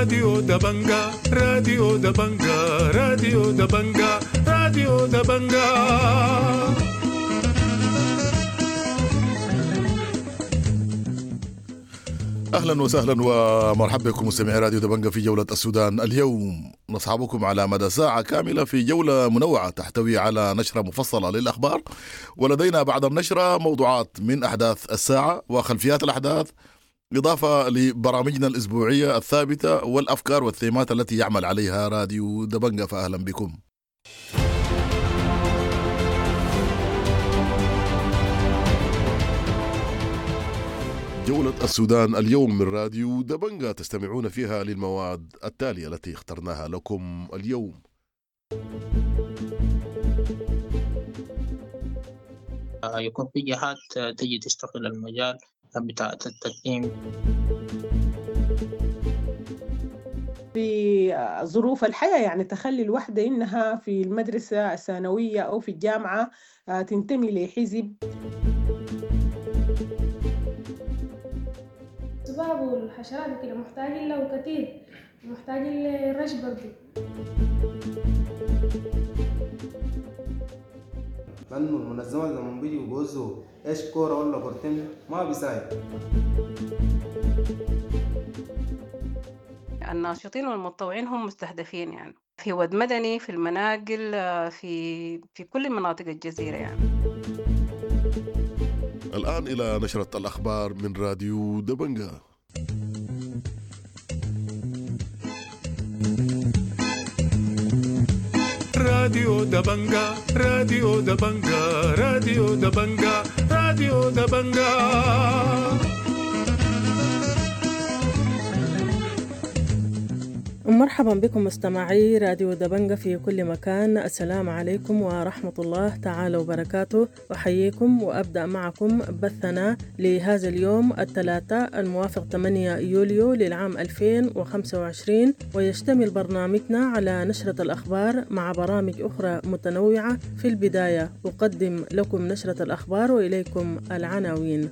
راديو دبنجا، راديو دبنجا، راديو دبنجا، راديو دبنجا. اهلا وسهلا ومرحبا بكم مستمعي راديو دبنجا في جولة السودان اليوم. نصحبكم على مدى ساعة كاملة في جولة منوعة تحتوي على نشرة مفصلة للأخبار، ولدينا بعد النشرة موضوعات من أحداث الساعة وخلفيات الأحداث، إضافة لبرامجنا الأسبوعية الثابتة والأفكار والثيمات التي يعمل عليها راديو دبنجا. فأهلا بكم. جولة السودان اليوم من راديو دبنجا تستمعون فيها للمواد التالية التي اخترناها لكم اليوم. يكون في جهات تجي تشتغل المجال بتاع التقييم. في ظروف الحياة، يعني تخلي الوحدة إنها في المدرسة الثانوية أو في الجامعة تنتمي لحزب. الذباب والحشرات وكده محتاجين له كتير، محتاجين للرش برضو. لأنه المنظمات لما بيجوا بيوزعوا إيش كورة ولا كورتين ما بيساعد. الناشطين والمتطوعين هم مستهدفين، يعني في ود مدني، في المناقل، في كل مناطق الجزيرة يعني. الآن إلى نشرة الأخبار من راديو دبنجا. راديو دبنجا، راديو دبنجا، راديو دبنجا، راديو دبنجا. مرحبا بكم مستمعي راديو دبنجا في كل مكان. السلام عليكم ورحمة الله تعالى وبركاته. أحييكم وأبدأ معكم بثنا لهذا اليوم الثلاثاء الموافق 8 يوليو للعام 2025، ويشتمل برنامجنا على نشرة الأخبار مع برامج أخرى متنوعة. في البداية أقدم لكم نشرة الأخبار وإليكم العناوين.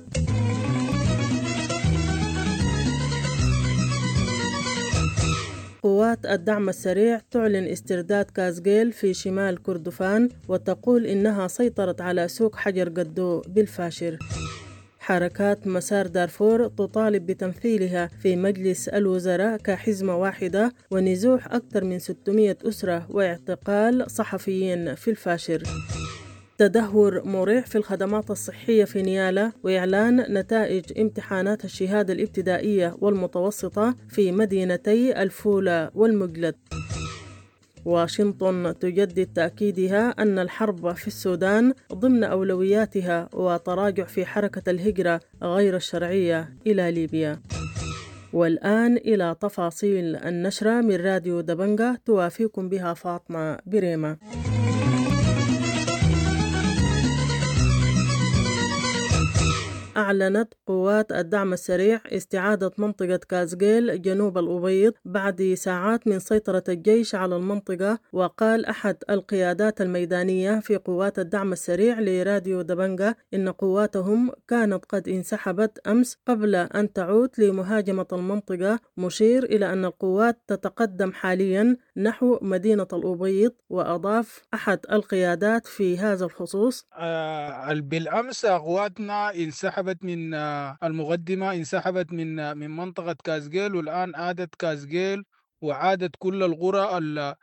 قوات الدعم السريع تعلن استرداد كازجيل في شمال كردفان وتقول إنها سيطرت على سوق حجر قدو بالفاشر. حركات مسار دارفور تطالب بتمثيلها في مجلس الوزراء كحزمة واحدة ونزوح أكثر من 600 أسرة واعتقال صحفيين في الفاشر. تدهور مريع في الخدمات الصحية في نيالا وإعلان نتائج امتحانات الشهادة الابتدائية والمتوسطة في مدينتي الفولة والمجلد. واشنطن تجدد تأكيدها أن الحرب في السودان ضمن أولوياتها وتراجع في حركة الهجرة غير الشرعية إلى ليبيا. والآن إلى تفاصيل النشرة من راديو دبنجا توافيكم بها فاطمة بريمة. أعلنت قوات الدعم السريع استعادة منطقة كازجيل جنوب الأبيض بعد ساعات من سيطرة الجيش على المنطقة. وقال أحد القيادات الميدانية في قوات الدعم السريع لراديو دبنجا إن قواتهم كانت قد انسحبت أمس قبل أن تعود لمهاجمة المنطقة، مشير إلى أن القوات تتقدم حاليا نحو مدينة الأبيض. وأضاف أحد القيادات في هذا الخصوص: بالأمس قواتنا انسحبت من المقدمة، انسحبت من منطقة كازجيل، والآن عادت كازجيل وعادت كل القرى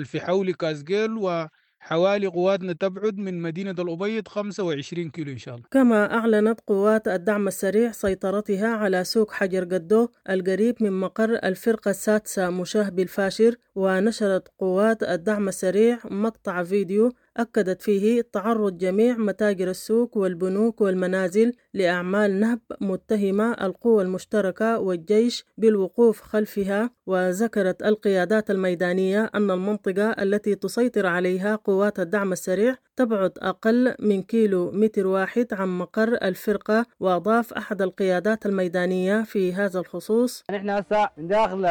في حول كازجيل، وحوالي قواتنا تبعد من مدينة الأبيض 25 كيلو إن شاء الله. كما أعلنت قوات الدعم السريع سيطرتها على سوق حجر قدو القريب من مقر الفرقة السادسة مشاه بالفاشر. ونشرت قوات الدعم السريع مقطع فيديو أكدت فيه تعرض جميع متاجر السوق والبنوك والمنازل لأعمال نهب متهمة القوى المشتركة والجيش بالوقوف خلفها. وذكرت القيادات الميدانية أن المنطقة التي تسيطر عليها قوات الدعم السريع تبعد أقل من كيلو متر واحد عن مقر الفرقة. وأضاف أحد القيادات الميدانية في هذا الخصوص: نحن هسه من داخل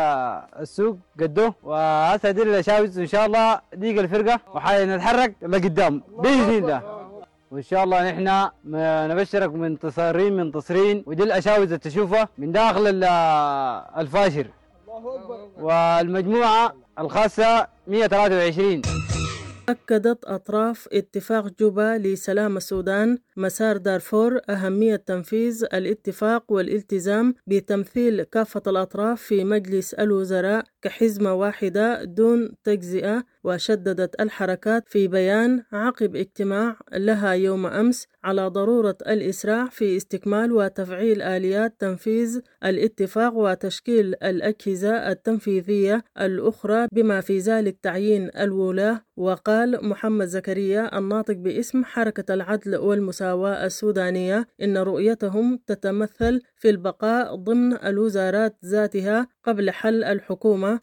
السوق قدو، وهسه دي الشاوز إن شاء الله ديق الفرقة وحنتحرك لقدام بإذن الله، وإن شاء الله نحن نبشرك منتصرين منتصرين. ودي الأشاوز اللي تشوفها من داخل الفاشر. والمجموعة الخاصة 123. أكدت أطراف اتفاق جوبا لسلام السودان مسار دارفور أهمية تنفيذ الاتفاق والالتزام بتمثيل كافة الأطراف في مجلس الوزراء كحزمة واحدة دون تجزئة. وشددت الحركات في بيان عقب اجتماع لها يوم أمس على ضرورة الإسراع في استكمال وتفعيل آليات تنفيذ الاتفاق وتشكيل الأجهزة التنفيذية الأخرى بما في ذلك تعيين الولاة. وقال محمد زكريا الناطق باسم حركة العدل والمساواة السودانية إن رؤيتهم تتمثل في البقاء ضمن الوزارات ذاتها قبل حل الحكومة.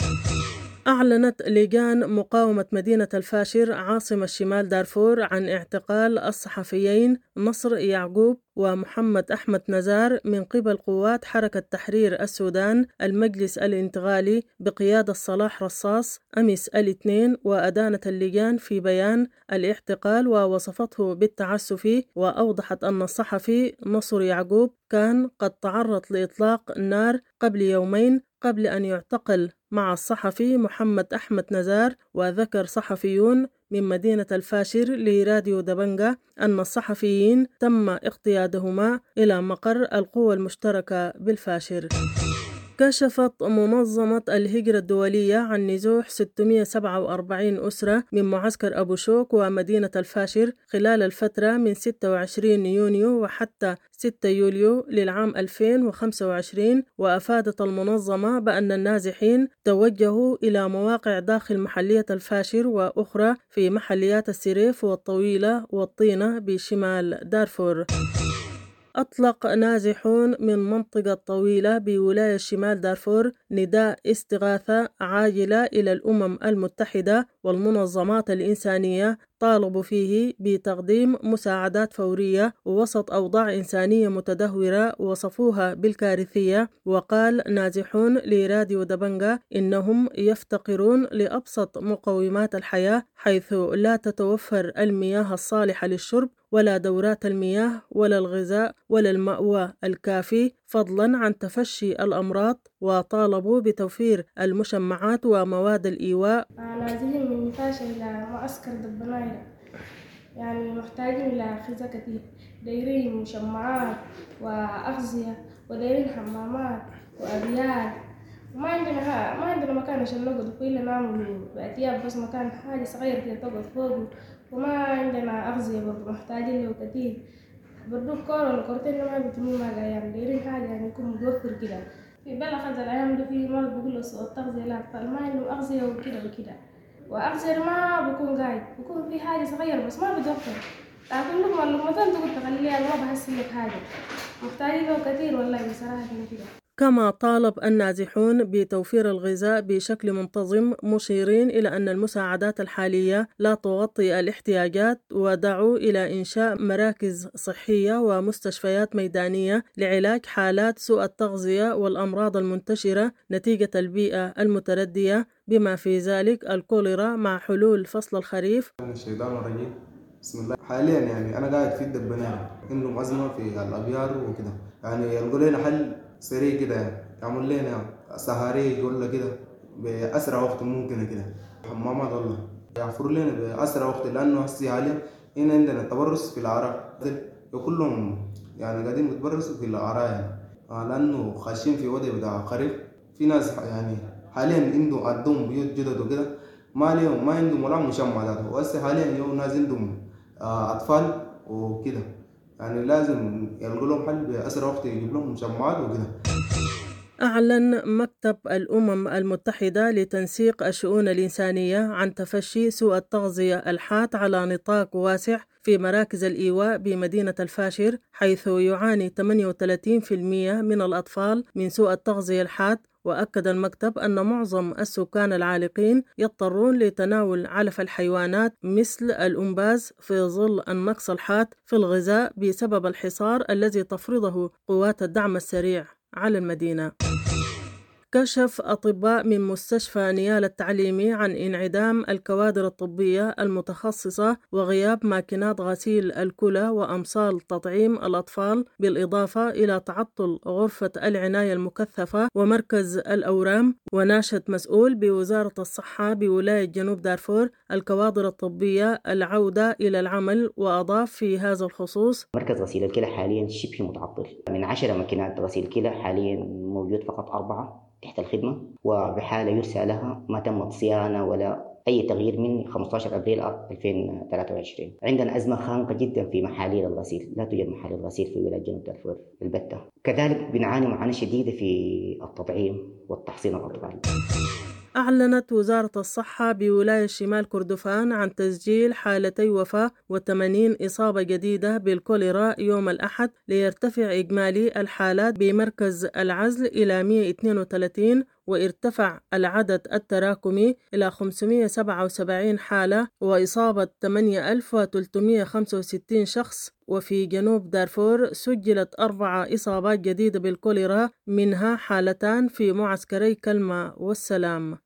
أعلنت لجان مقاومة مدينة الفاشر عاصمة شمال دارفور عن اعتقال الصحفيين نصر يعقوب ومحمد أحمد نزار من قبل قوات حركة تحرير السودان المجلس الانتقالي بقيادة صلاح رصاص أمس الاثنين. وأدانت اللجان في بيان الاعتقال ووصفته بالتعسف، وأوضحت أن الصحفي نصر يعقوب كان قد تعرض لإطلاق النار قبل يومين قبل أن يعتقل مع الصحفي محمد أحمد نزار. وذكر صحفيون من مدينة الفاشر لراديو دبنجة أن الصحفيين تم اقتيادهما إلى مقر القوى المشتركة بالفاشر. كشفت منظمة الهجرة الدولية عن نزوح 647 أسرة من معسكر أبو شوك ومدينة الفاشر خلال الفترة من 26 يونيو وحتى 6 يوليو للعام 2025. وأفادت المنظمة بأن النازحين توجهوا إلى مواقع داخل محلية الفاشر وأخرى في محليات السريف والطويلة والطينة بشمال دارفور. أطلق نازحون من منطقة طويلة بولاية شمال دارفور نداء استغاثة عاجلة إلى الأمم المتحدة والمنظمات الإنسانية طالبوا فيه بتقديم مساعدات فورية وسط أوضاع إنسانية متدهورة وصفوها بالكارثية. وقال نازحون لراديو دبنجة إنهم يفتقرون لأبسط مقومات الحياة، حيث لا تتوفر المياه الصالحة للشرب ولا دورات المياه ولا الغذاء ولا المأوى الكافي، فضلا عن تفشي الأمراض. وطالبوا بتوفير المشمعات ومواد الإيواء. نازلين من نفاشة إلى معسكر دبنايرة، يعني محتاجين إلى غذاء كثير، دايرين مشمعات وأغذية ودايرين حمامات وأبيات، وما عندنا ما عندنا مكان عشان نقعد فيه إلا نعمل بأتياب بس، مكان حاجة صغيرة كده تقعد فوقه. وما عندنا أغذية برضه محتاجين له كثير برضو، كورة ولا كورتين ما بيتموا مع الأيام، دايرين حاجة يعني يكون متوفر كده. في بلغ هذا الأيام ده في مرض بيقولوا سوء التغذية للأطفال، ما عندهم أغذية وكده وكده، وأغذية ما بكون قاعد بكون في حاجة صغيرة بس ما بتوفر، لكن لقمة لقمتين تقول تخليها ما بحس لك حاجة، محتاجين له كثير والله بصراحة كده. كما طالب النازحون بتوفير الغذاء بشكل منتظم، مشيرين إلى أن المساعدات الحالية لا تغطي الاحتياجات، ودعوا إلى إنشاء مراكز صحية ومستشفيات ميدانية لعلاج حالات سوء التغذية والأمراض المنتشرة نتيجة البيئة المتردية بما في ذلك الكوليرا مع حلول فصل الخريف. الشيطان الرجيم، بسم الله. حاليا يعني أنا قاعد في الدبنان، عندهم أزمة في الأبيار وكده، يعني يلقوا لنا حل سريع كده، يعني يعمل لنا سهاريج ولا كده بأسرع وقت ممكن كده، حمامات والله يعفروا لنا بأسرع وقت، لأنه هسي حاليا هنا عندنا تبرس في العراء، وكلهم يعني قاعدين بيتبرسوا في العراء يعني، لأنه خاشين في وضع بتاع خريف. في ناس يعني حاليا عندهم بيوت جدد وكده، ما لهم ما عندهم ولا مشمع ذاته، وهسه حاليا يوم ناس عندهم أطفال وكده، يعني لازم يلقوا لهم حل بأسرع وقت، يجيب لهم مشمعات وكده. أعلن مكتب الأمم المتحدة لتنسيق الشؤون الإنسانية عن تفشي سوء التغذية الحاد على نطاق واسع في مراكز الإيواء بمدينة الفاشر، حيث يعاني 38% من الأطفال من سوء التغذية الحاد. وأكد المكتب أن معظم السكان العالقين يضطرون لتناول علف الحيوانات مثل الأمباز في ظل النقص الحاد في الغذاء بسبب الحصار الذي تفرضه قوات الدعم السريع على المدينة. كشف أطباء من مستشفى نيالا التعليمي عن انعدام الكوادر الطبية المتخصصة وغياب ماكينات غسيل الكلى وأمصال تطعيم الأطفال، بالإضافة إلى تعطل غرفة العناية المكثفة ومركز الأورام. وناشد مسؤول بوزارة الصحة بولاية جنوب دارفور الكوادر الطبية العودة إلى العمل، وأضاف في هذا الخصوص: مركز غسيل الكلى حاليا شبه متعطل، من 10 ماكينات غسيل كلى حاليا موجود فقط 4 تحت الخدمة، وبحالة يرسى لها ما تمت صيانة ولا أي تغيير من 15 أبريل 2023. عندنا أزمة خانقة جدا في محاليل الغسيل، لا توجد محاليل غسيل في ولاية جنوب دارفور البتة. كذلك بنعاني معاناة شديدة في التطعيم والتحصين الأطفال. أعلنت وزارة الصحة بولاية شمال كردفان عن تسجيل حالتي وفاة و80 إصابة جديدة بالكوليرا يوم الأحد، ليرتفع إجمالي الحالات بمركز العزل إلى 132، وارتفع العدد التراكمي إلى 577 حالة وإصابة 8365 شخص. وفي جنوب دارفور سجلت 4 إصابات جديدة بالكوليرا، منها حالتان في معسكري كلمة والسلام.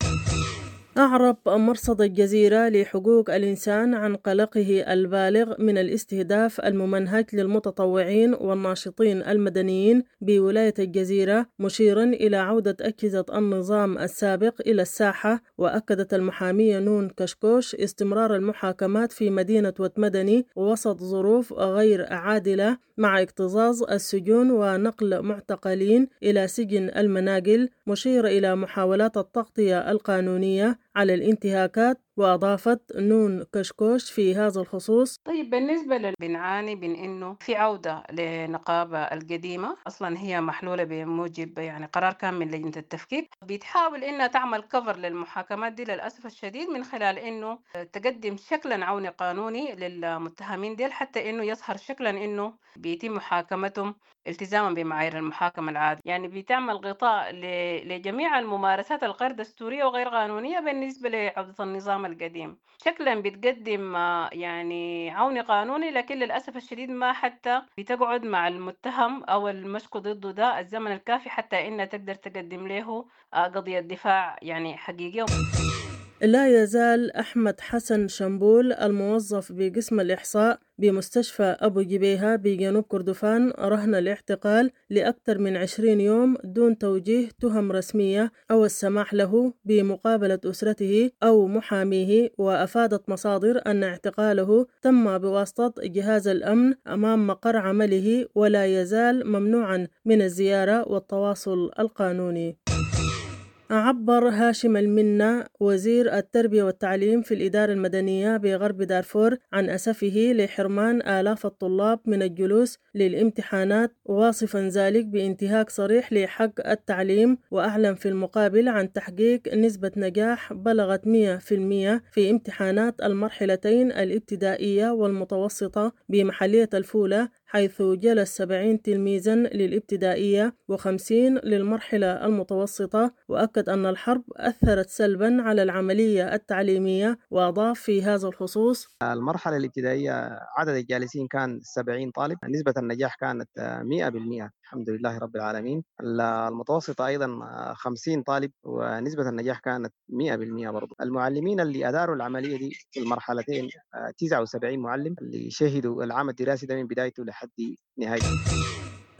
أعرب مرصد الجزيرة لحقوق الإنسان عن قلقه البالغ من الاستهداف الممنهج للمتطوعين والناشطين المدنيين بولاية الجزيرة، مشيرا إلى عودة أجهزة النظام السابق إلى الساحة. وأكدت المحامية نون كشكوش استمرار المحاكمات في مدينة وتمدني وسط ظروف غير عادلة، مع اكتظاظ السجون ونقل معتقلين إلى سجن المناقل، مشيرة إلى محاولات التغطية القانونية على الانتهاكات. وأضافت نون كشكوش في هذا الخصوص: طيب بالنسبة بنعاني من إنه في عودة لنقابة القديمة، أصلا هي محلولة بموجب يعني قرار كان من لجنة التفكيك، بتحاول إنها تعمل كفر للمحاكمات دي للأسف الشديد، من خلال إنه تقدم شكلا عوني قانوني للمتهمين ديل، حتى إنه يظهر شكلا إنه بيتم محاكمتهم التزاما بمعايير المحاكمة العادية. يعني بتعمل غطاء لجميع الممارسات الغير دستورية وغير قانونية بالنسبة لعودة النظام القديم. شكلا بتقدم يعني عون قانوني، لكن للأسف الشديد ما حتى بتقعد مع المتهم أو المشكو ضده ده الزمن الكافي حتى إنها تقدر تقدم له قضية دفاع يعني حقيقية. لا يزال أحمد حسن شمبول الموظف بقسم الإحصاء بمستشفى أبو جبيهة بجنوب كردفان رهن الاعتقال لأكثر من 20 يوم دون توجيه تهم رسمية أو السماح له بمقابلة أسرته أو محاميه. وأفادت مصادر أن اعتقاله تم بواسطة جهاز الأمن أمام مقر عمله، ولا يزال ممنوعا من الزيارة والتواصل القانوني. عبر هاشم المنة وزير التربية والتعليم في الإدارة المدنية بغرب دارفور عن أسفه لحرمان آلاف الطلاب من الجلوس للامتحانات، واصفا ذلك بانتهاك صريح لحق التعليم. وأعلن في المقابل عن تحقيق نسبة نجاح بلغت 100% في امتحانات المرحلتين الابتدائية والمتوسطة بمحلية الفولة، حيث جلس 70 تلميذا للابتدائية و50 للمرحلة المتوسطة. وأكد أن الحرب أثرت سلبا على العملية التعليمية. وأضاف في هذا الخصوص: المرحلة الابتدائية عدد الجالسين كان 70 طالب، نسبة النجاح كانت 100% الحمد لله رب العالمين. المتوسطة أيضا 50 طالب ونسبة النجاح كانت 100% برضو. المعلمين اللي أداروا العملية دي في المرحلتين 79 معلم اللي شهدوا العام الدراسي ده من بدايته لحد نهايته.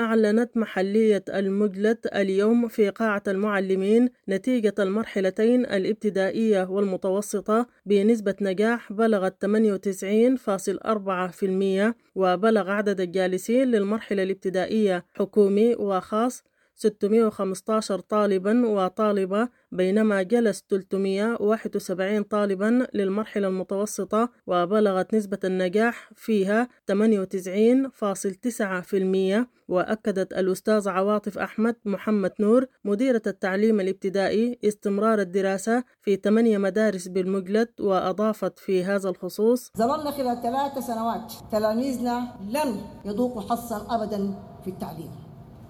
أعلنت محلية المجلد اليوم في قاعة المعلمين نتيجة المرحلتين الابتدائية والمتوسطة بنسبة نجاح بلغت 98.4%، وبلغ عدد الجالسين للمرحلة الابتدائية حكومي وخاص 615 طالبا وطالبة، بينما جلس 371 طالبا للمرحلة المتوسطة، وبلغت نسبة النجاح فيها 98.9%. وأكدت الأستاذ عواطف أحمد محمد نور مديرة التعليم الابتدائي استمرار الدراسة في 8 مدارس بالمجلد. وأضافت في هذا الخصوص: ظللنا خلال 3 سنوات تلاميذنا لم يذوقوا حظا أبدا في التعليم،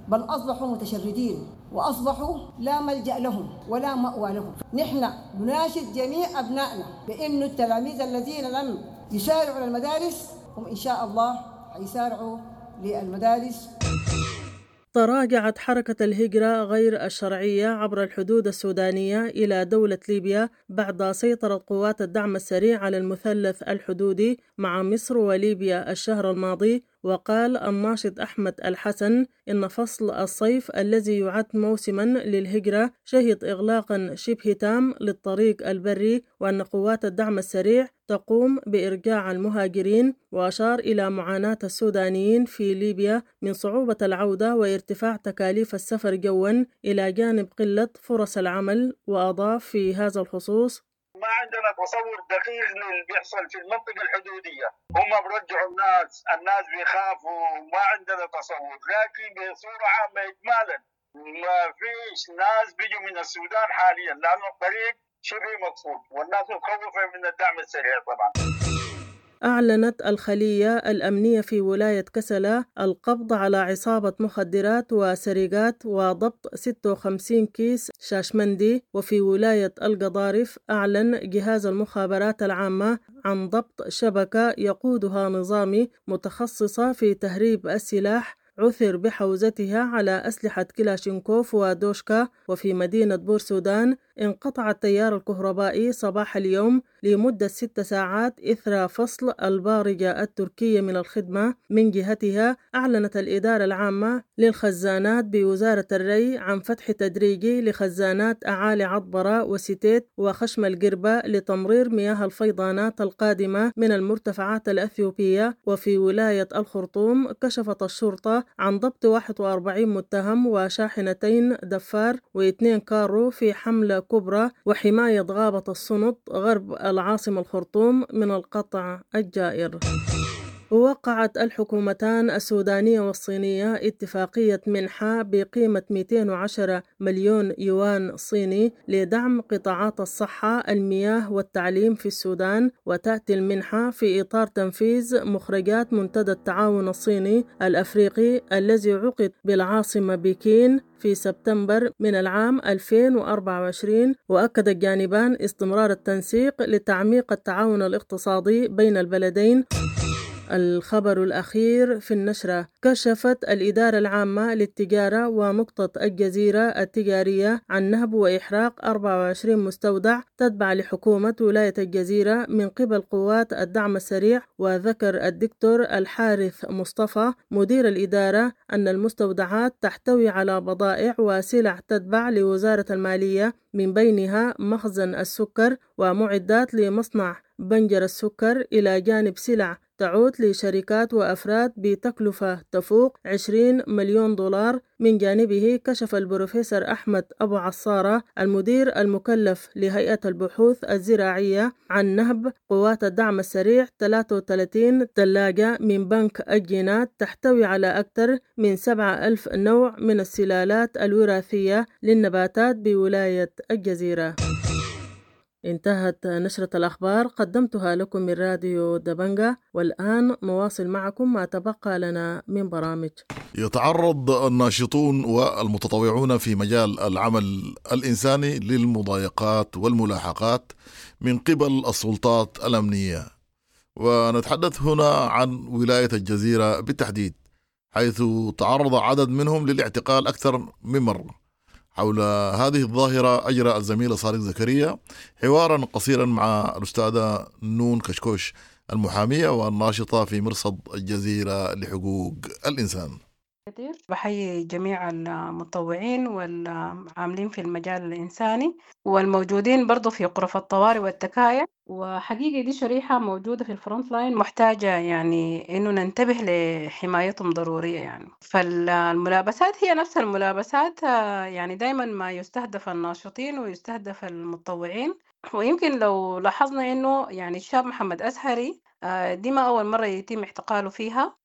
بل أصبحوا متشردين وأصبحوا لا ملجأ لهم ولا مأوى لهم. نحن نناشد جميع أبنائنا بأن التلاميذ الذين لم يسارعوا للمدارس هم إن شاء الله حيسارعوا للمدارس. تراجعت حركة الهجرة غير الشرعية عبر الحدود السودانية إلى دولة ليبيا بعد سيطرة قوات الدعم السريع على المثلث الحدودي مع مصر وليبيا الشهر الماضي. وقال الناشط أحمد الحسن إن فصل الصيف الذي يعد موسما للهجرة شهد إغلاقا شبه تام للطريق البري، وأن قوات الدعم السريع تقوم بإرجاع المهاجرين. وأشار إلى معاناة السودانيين في ليبيا من صعوبة العودة وارتفاع تكاليف السفر جوا إلى جانب قلة فرص العمل. وأضاف في هذا الخصوص: ما عندنا تصور دقيق للي بيحصل في المنطقة الحدودية، هم برجعوا الناس بيخافوا، ما عندنا تصور، لكن بصورة عامة إجمالا ما فيش ناس بيجوا من السودان حاليا لأنه الطريق شبه مقفول والناس متخوفة من الدعم السريع طبعا. أعلنت الخلية الأمنية في ولاية كسلا القبض على عصابة مخدرات وسرقات وضبط 56 كيس شاشمندي. وفي ولاية القضارف أعلن جهاز المخابرات العامة عن ضبط شبكة يقودها نظامي متخصصة في تهريب السلاح عثر بحوزتها على أسلحة كلاشينكوف ودوشكا. وفي مدينة بورسودان انقطع التيار الكهربائي صباح اليوم لمدة 6 ساعات إثر فصل البارجة التركية من الخدمة. من جهتها أعلنت الإدارة العامة للخزانات بوزارة الري عن فتح تدريجي لخزانات أعالي عطبرة وستيت وخشم القربة لتمرير مياه الفيضانات القادمة من المرتفعات الأثيوبية. وفي ولاية الخرطوم كشفت الشرطة عن ضبط 41 متهم وشاحنتين دفار و2 كارو في حملة كبرى وحماية غابة السنط غرب العاصمة الخرطوم من القطع الجائر. وقعت الحكومتان السودانية والصينية اتفاقية منحة بقيمة 210 مليون يوان صيني لدعم قطاعات الصحة، المياه والتعليم في السودان. وتأتي المنحة في إطار تنفيذ مخرجات منتدى التعاون الصيني الأفريقي الذي عقد بالعاصمة بكين في سبتمبر من العام 2024. وأكد الجانبان استمرار التنسيق لتعميق التعاون الاقتصادي بين البلدين. الخبر الأخير في النشرة: كشفت الإدارة العامة للتجارة ونقطة الجزيرة التجارية عن نهب وإحراق 24 مستودع تتبع لحكومة ولاية الجزيرة من قبل قوات الدعم السريع. وذكر الدكتور الحارث مصطفى مدير الإدارة أن المستودعات تحتوي على بضائع وسلع تتبع لوزارة المالية، من بينها مخزن السكر ومعدات لمصنع بنجر السكر، إلى جانب سلع تعود لشركات وأفراد بتكلفة تفوق 20 مليون دولار. من جانبه كشف البروفيسور أحمد أبو عصارة المدير المكلف لهيئة البحوث الزراعية عن نهب قوات الدعم السريع 33 ثلاجة من بنك الجينات تحتوي على أكثر من 7000 نوع من السلالات الوراثية للنباتات بولاية الجزيرة. انتهت نشرة الأخبار، قدمتها لكم من راديو دبنجا، والآن نواصل معكم ما تبقى لنا من برامج. يتعرض الناشطون والمتطوعون في مجال العمل الإنساني للمضايقات والملاحقات من قبل السلطات الأمنية، ونتحدث هنا عن ولاية الجزيرة بالتحديد، حيث تعرض عدد منهم للاعتقال أكثر من مرة. حول هذه الظاهرة أجرى الزميل صادق زكريا حوارا قصيرا مع الأستاذة نون كشكوش المحامية والناشطة في مرصد الجزيرة لحقوق الإنسان. كثير بحيي جميع المتطوعين والعاملين في المجال الإنساني والموجودين برضو في غرف الطوارئ والتكايا، وحقيقة دي شريحة موجودة في ال front line محتاجة يعني إنه ننتبه لحمايتهم ضرورية يعني. فالملابسات هي نفس الملابسات، يعني دايما ما يستهدف الناشطين ويستهدف المتطوعين. ويمكن لو لاحظنا إنه يعني الشاب محمد أزهري دي ما أول مرة يتم اعتقاله فيها.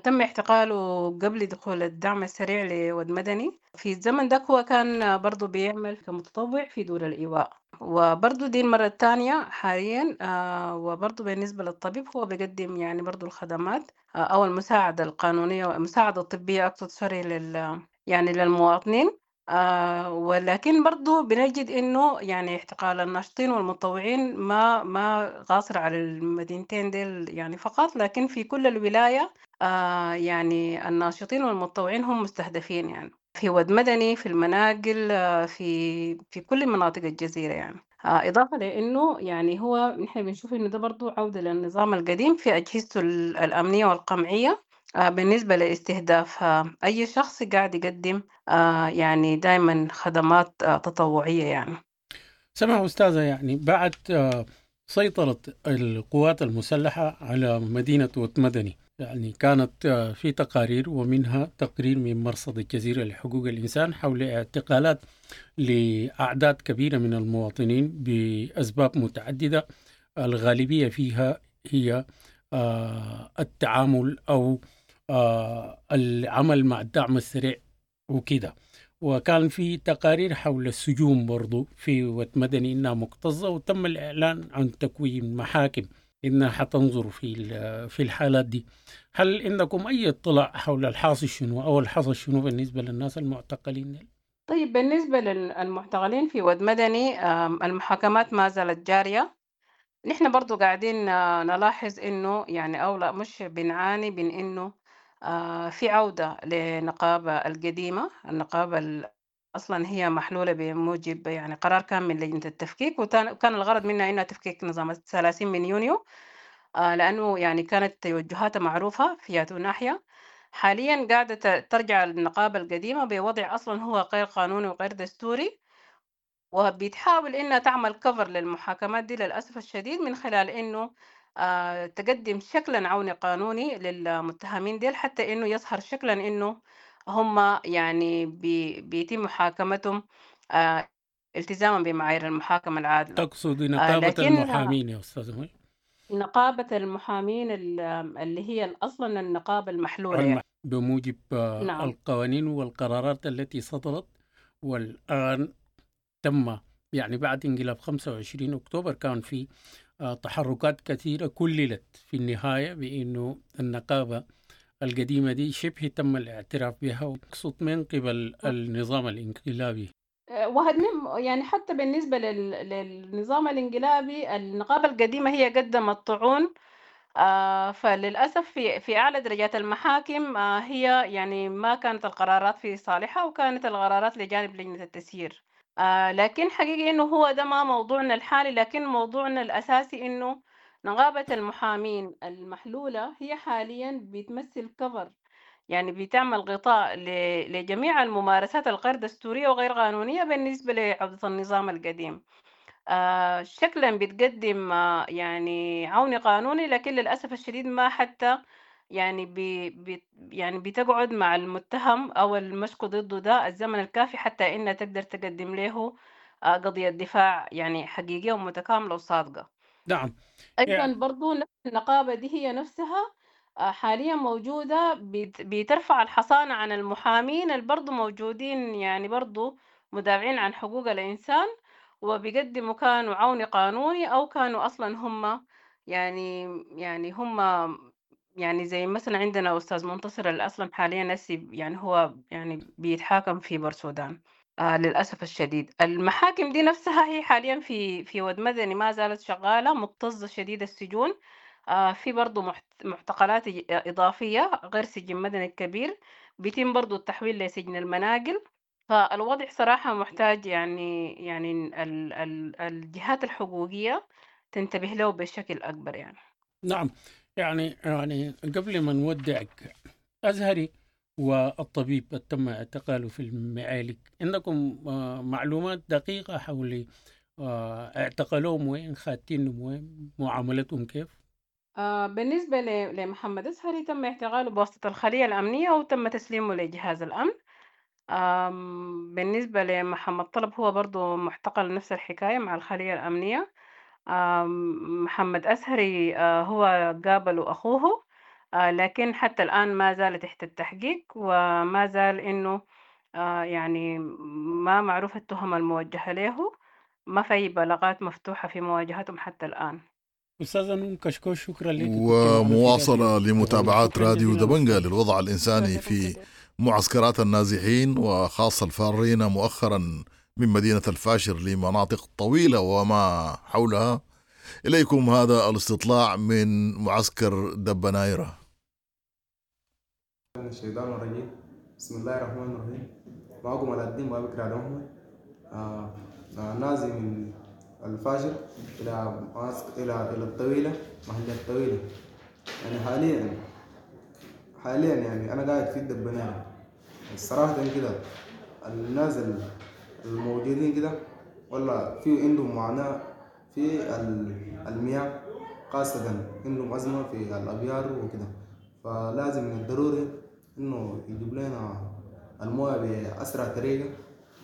تم اعتقاله قبل دخول الدعم السريع لود مدني. في الزمن ده هو كان برضو بيعمل كمتطوع في دور الإيواء، وبرضو دي المرة الثانية حاليا. وبرضو بالنسبة للطبيب هو بيقدم يعني برضو الخدمات أو المساعدة القانونية والمساعدة الطبية أقصد سوري يعني للمواطنين. ولكن برضو بنجد إنه يعني اعتقال الناشطين والمتطوعين ما قاصر على المدينتين ديل يعني فقط، لكن في كل الولاية يعني الناشطين والمتطوعين هم مستهدفين، يعني في ود مدني، في المناقل، في كل مناطق الجزيرة يعني. إضافة لأنه يعني هو نحن بنشوف إنه ده برضو عودة للنظام القديم في أجهزته الأمنية والقمعية، بالنسبة لاستهداف أي شخص قاعد يقدم يعني دايما خدمات تطوعية يعني. سمع أستاذة، يعني بعد سيطرة القوات المسلحة على مدينة ود مدني، يعني كانت في تقارير ومنها تقرير من مرصد الجزيرة لحقوق الإنسان حول اعتقالات لأعداد كبيرة من المواطنين بأسباب متعددة، الغالبية فيها هي التعامل أو العمل مع الدعم السريع وكده. وكان في تقارير حول السجون برضو في ود مدني إنها مكتظة، وتم الإعلان عن تكوين محاكم إنها حتنظر في الحالات دي. هل عندكم أي اطلاع حول الحاصل شنو أو الحصل شنو بالنسبة للناس المعتقلين؟ طيب، بالنسبة للمعتقلين في ود مدني، المحاكمات ما زالت جارية. نحن برضو قاعدين نلاحظ إنه يعني أو لا مش بنعاني من إنه في عودة لنقابة القديمة. النقابة أصلا هي محلولة بموجب يعني قرار كان من لجنة التفكيك، وكان الغرض منها إنها تفكيك نظام 30 من يونيو، لأنه يعني كانت توجهاتها معروفة في ياتو ناحية. حاليا قاعدة ترجع النقابة القديمة بوضع أصلا هو غير قانوني وغير دستوري، وبتحاول إنها تعمل كفر للمحاكمات دي للأسف الشديد من خلال إنه تقدم شكلا عوني قانوني للمتهمين ديل، حتى إنه يظهر شكلا إنه هم يعني بيتم محاكمتهم التزاما بمعايير المحاكمة العادلة. تقصد نقابة المحامين يا أستاذ مي؟ نقابة المحامين اللي هي أصلا النقابة المحلولة يعني. بموجب نعم. القوانين والقرارات التي صدرت، والآن تم يعني بعد انقلاب 25 أكتوبر كان في تحركات كثيرة كللت في النهاية بأنه النقابة القديمة دي شبه تم الاعتراف بها، وأقصد من قبل النظام الانقلابي. يعني حتى بالنسبة للنظام الانقلابي النقابة القديمة هي قدمت طعون، فللأسف في أعلى درجات المحاكم هي يعني ما كانت القرارات في صالحها، وكانت القرارات لجانب لجنة التسيير. لكن حقيقي إنه هو ده ما موضوعنا الحالي، لكن موضوعنا الأساسي إنه نقابة المحامين المحلولة هي حاليا بتمثل كفر، يعني بتعمل غطاء لجميع الممارسات الغير دستورية وغير قانونية بالنسبة لعودة النظام القديم. شكلا بتقدم يعني عون قانوني، لكن للأسف الشديد ما حتى يعني يعني بتقعد مع المتهم أو المشكو ضده ده الزمن الكافي حتى إنها تقدر تقدم له قضية دفاع يعني حقيقية ومتكاملة وصادقة. نعم. أيضا يعني برضو نفس النقابة دي هي نفسها حاليا موجودة بترفع الحصانة عن المحامين اللي برضو موجودين يعني برضو مدافعين عن حقوق الإنسان، وبيقدموا كانوا عون قانوني أو كانوا أصلا هم يعني هم يعني زي مثلا عندنا أستاذ منتصر اللي أصلا حاليا نسي يعني هو يعني بيتحاكم في بورسودان. للأسف الشديد المحاكم دي نفسها هي حاليا في ود مدني ما زالت شغالة مكتظة شديد السجون. في برضو معتقلات إضافية غير سجن مدني الكبير، بيتم برضو التحويل لسجن المناقل. فالوضع صراحة محتاج يعني الجهات الحقوقية تنتبه له بشكل أكبر يعني. نعم، يعني قبل ما نودعك، أزهري والطبيب تم اعتقاله في المعالك، عندكم معلومات دقيقة حول اعتقلوهم وين، خاتينهم وين، معاملتهم كيف؟ بالنسبة لمحمد أزهري تم اعتقاله بواسطة الخلية الأمنية وتم تسليمه لجهاز الأمن. بالنسبة لمحمد طلب هو برضو معتقل نفس الحكاية مع الخلية الأمنية. محمد أزهري هو قابله أخوه، لكن حتى الآن ما زال تحت التحقيق، وما زال إنه يعني ما معروف التهم الموجهة له، ما في بلاغات مفتوحة في مواجهتهم حتى الآن. أستاذة نون كشكوش، شكرا لك. ومواصلة لمتابعات راديو دبنجة للوضع الإنساني في معسكرات النازحين وخاصة الفارين مؤخرا من مدينة الفاشر لمناطق طويلة وما حولها. إليكم هذا الاستطلاع من معسكر دبنايرة. من الشيطان الرجيم، بسم الله الرحمن الرحيم. معكم علاء الدين بابكر علي محمد، نازل من الفاشر إلى إلى إلى الطويلة، محل الطويلة. يعني حاليا يعني أنا قاعد في الدبنايرة. الصراحة كده الناس الموجودين كده والله في عندهم معاناة في المياه، خاصة عندهم أزمة في الأبيار وكده، فلازم من الضروري إنه يجيب لنا المويه بأسرع طريقة،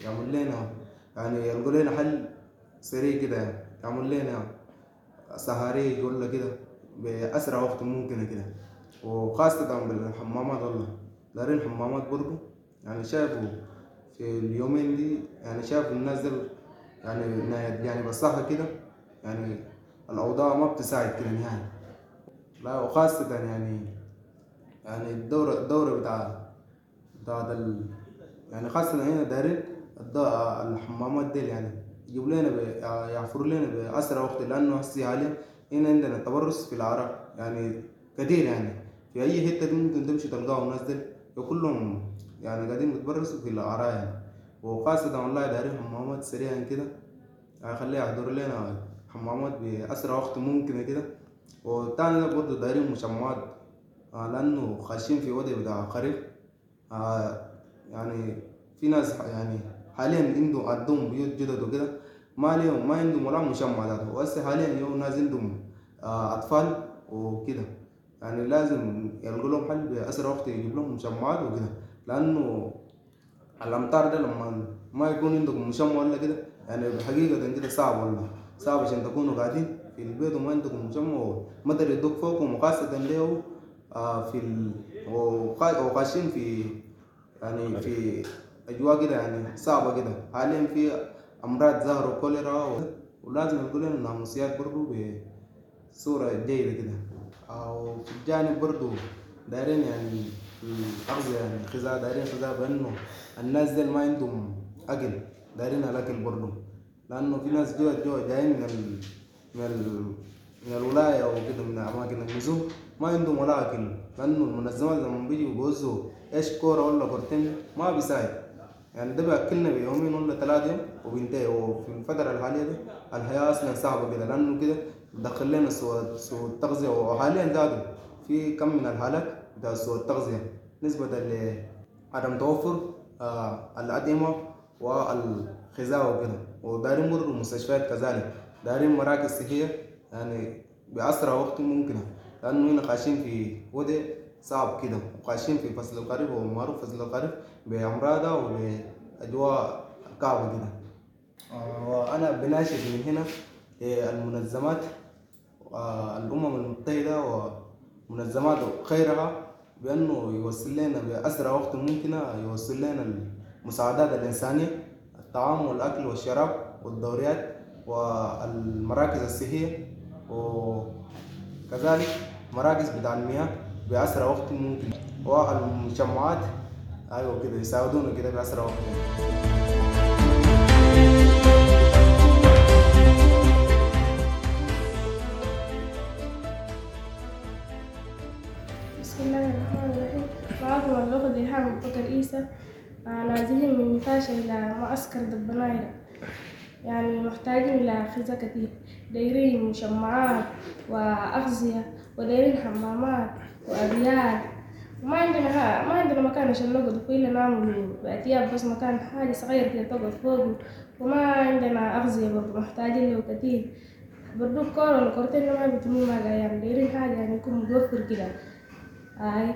يعمل لنا يعني يلقوا لنا حل سريع كده، يعني يعمل لنا سهاريج ولا كده بأسرع وقت ممكن كده، وخاصة بالحمامات. والله دارين حمامات برضو، يعني شايفوا في اليومين دي، يعني شايفوا الناس دي يعني بالصحة كده، يعني الأوضاع ما بتساعد كده نهائي. لا وخاصة يعني الدورة بتاع يعني خاصة هنا دارين الحمامات ديل، يعني يجيب لنا يعفروا لنا بأسرع وقت، لأنه هسي حاليا هنا عندنا تبرس في العراء يعني كثير، يعني في أي حتة ممكن تمشي تلقاهم الناس ديل كلهم يعني قاعدين بيتبرسوا في العراء يعني. وخاصة والله دارين حمامات سريعا كده، يعني خليها يحضروا لنا حمامات بأسرع وقت ممكن كده. والتاني ده برضه دارين مشمعات، لأنه خاشين في وضع بتاع خريف، يعني في ناس يعني حاليا عندهم بيوت جدد وكده، ما ليهم ما عندهم ولا مشمع ذاته، وهسه حاليا يوم ناس عندهم أطفال وكده، يعني لازم يلقوا لهم حل بأسرع وقت، يجيب لهم مشمعات وكده، لأنه الأمطار ده لما ما يكون عندكم مشمع ولا كده يعني حقيقة كده صعب، والله صعب عشان تكونوا قاعدين في البيت وما عندكم مشمع ومطر يدق فوقكم، وخاصة له في وخاشين في يعني في أجواء كده يعني صعبة كده. حاليا في أمراض ظهروا كوليرا، ولازم يلقوا لنا ناموسيات برضو بصورة جيدة كده. أو في الجانب برضو دايرين يعني الأغذية، يعني غذاء، دايرين غذاء بأنه الناس ديل ما عندهم أكل، دايرين الأكل برضو، لأنه في ناس جوا جايين من الولاية وكده، من أماكن النزول ما عندهم ولا أكل، لأنه المنظمات لما بيجوا بيوزعوا إيش كورة ولا كورتين ما بيساعد، يعني ده بيأكلنا بيومين ولا 3 يوم وبينتهي. وفي الفترة الحالية دي الحياة أصلا صعبة كده، لأنه كده دخل لنا سوء التغذية، وحاليا زادوا في كم من الحالات بتاع سوء التغذية نسبة لعدم توفر الأطعمة والغذاء وكده. ودارين برضه المستشفيات كذلك، دارين مراكز صحية يعني بأسرع وقت ممكن، لأنه هنا خاشين في وضع صعب كده، وخاشين في فصل الخريف، ومعروف فصل الخريف بأمراضه وبأجواء كعبة كده. وأنا بناشد من هنا للمنظمات الأمم المتحدة ومنظمات غيرها بأنه يوصل لنا بأسرع وقت ممكن، يوصل لنا المساعدات الإنسانية، الطعام والأكل والشراب والدوريات والمراكز الصحية، وكذلك مراكز بتاع المياه بأسرع وقت ممكن، والمجمعات أيوة كده يساعدونا كده بأسرع وقت ممكن. بسم الله الرحمن الرحيم. معكم اللغة ريهام بكر إيسى، نازلين من نفاشة إلى معسكر دبنايرة، يعني محتاجين إلى غذاء كثير، دايرين مشمعات وأغذية، ودايرين حمامات وأبيار، وما عندنا ما عندنا مكان عشان نقعد فيه إلا نعمل بأتياب بس، مكان حاجة صغيرة كده تقعد فوقه، وما عندنا أغذية برضو محتاجين له كثير برضو. كورة ولا كورتين ما بيتموا مع الأيام، دايرين حاجة يعني يكون متوفر كده هاي،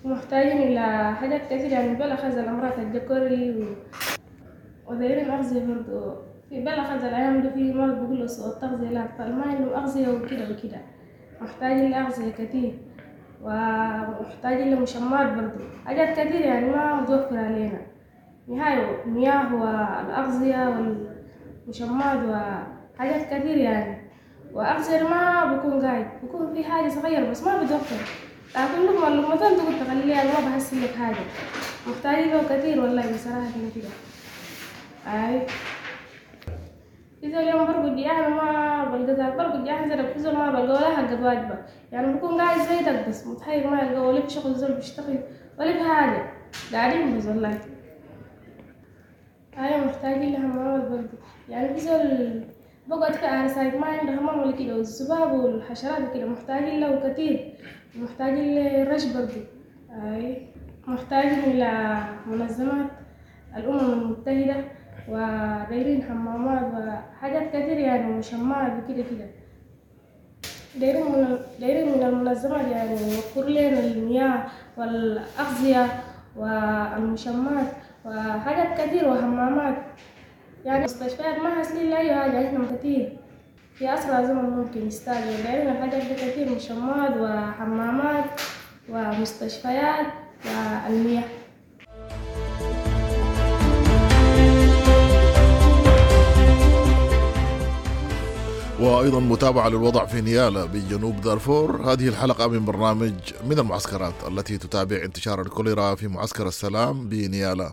ومحتاجين إلى حاجات كثيرة يعني بلا الأمراض الجكوري ودايرين أغذية برضو. في بلا الأيام دي في مرض بيقولوا سوء التغذية للأطفال، ما عندهم أغذية وكده وكده، محتاجين لأغذية كتير، ومحتاجين لمشمات برضو، حاجات كتير يعني ما متوفرة علينا نهاية، المياه والأغذية والمشمات وحاجات كتير يعني. وأغذية ما بكون قاعد بكون في حاجة صغيرة بس ما بتوفر. تاكل لقمة لقمتين تقول تخليها ما بحسن لك حاجة. محتاجين له كتير والله بصراحة كده كده. أي في زول يوم برقد يعني ما بلقى ذاك برقد يعني زي في زول ما بلقى ولا حق واجبة، يعني بكون قاعد زي دك بس متحير ما يلقى ولا في شغل زول بيشتغل ولا في حاجة، قاعدين بس والله. أيوة محتاجين لحمامات برضو، يعني في زول بقعد في عرسات ما عنده حمام ولا كده، والذباب والحشرات وكده محتاجين له كتير، ومحتاجين للرش برضو. أي محتاجين إلى منظمات الأمم المتحدة ودايرين حمامات وحاجات كتير يعني ومشمعات وكده كده. دايرين من المنظمات يعني يوفر لنا المياه والأغذية والمشمعات وحاجات كتير وحمامات، يعني مستشفيات ما حاصلين لأي حاجة، إحنا كتير في أسرع زمن ممكن يستعجلوا. دايرين الحاجات دي كتير، مشمعات وحمامات ومستشفيات والمياه. وأيضا متابعة للوضع في نيالا بجنوب دارفور. هذه الحلقة من برنامج من المعسكرات التي تتابع انتشار الكوليرا في معسكر السلام بنيالا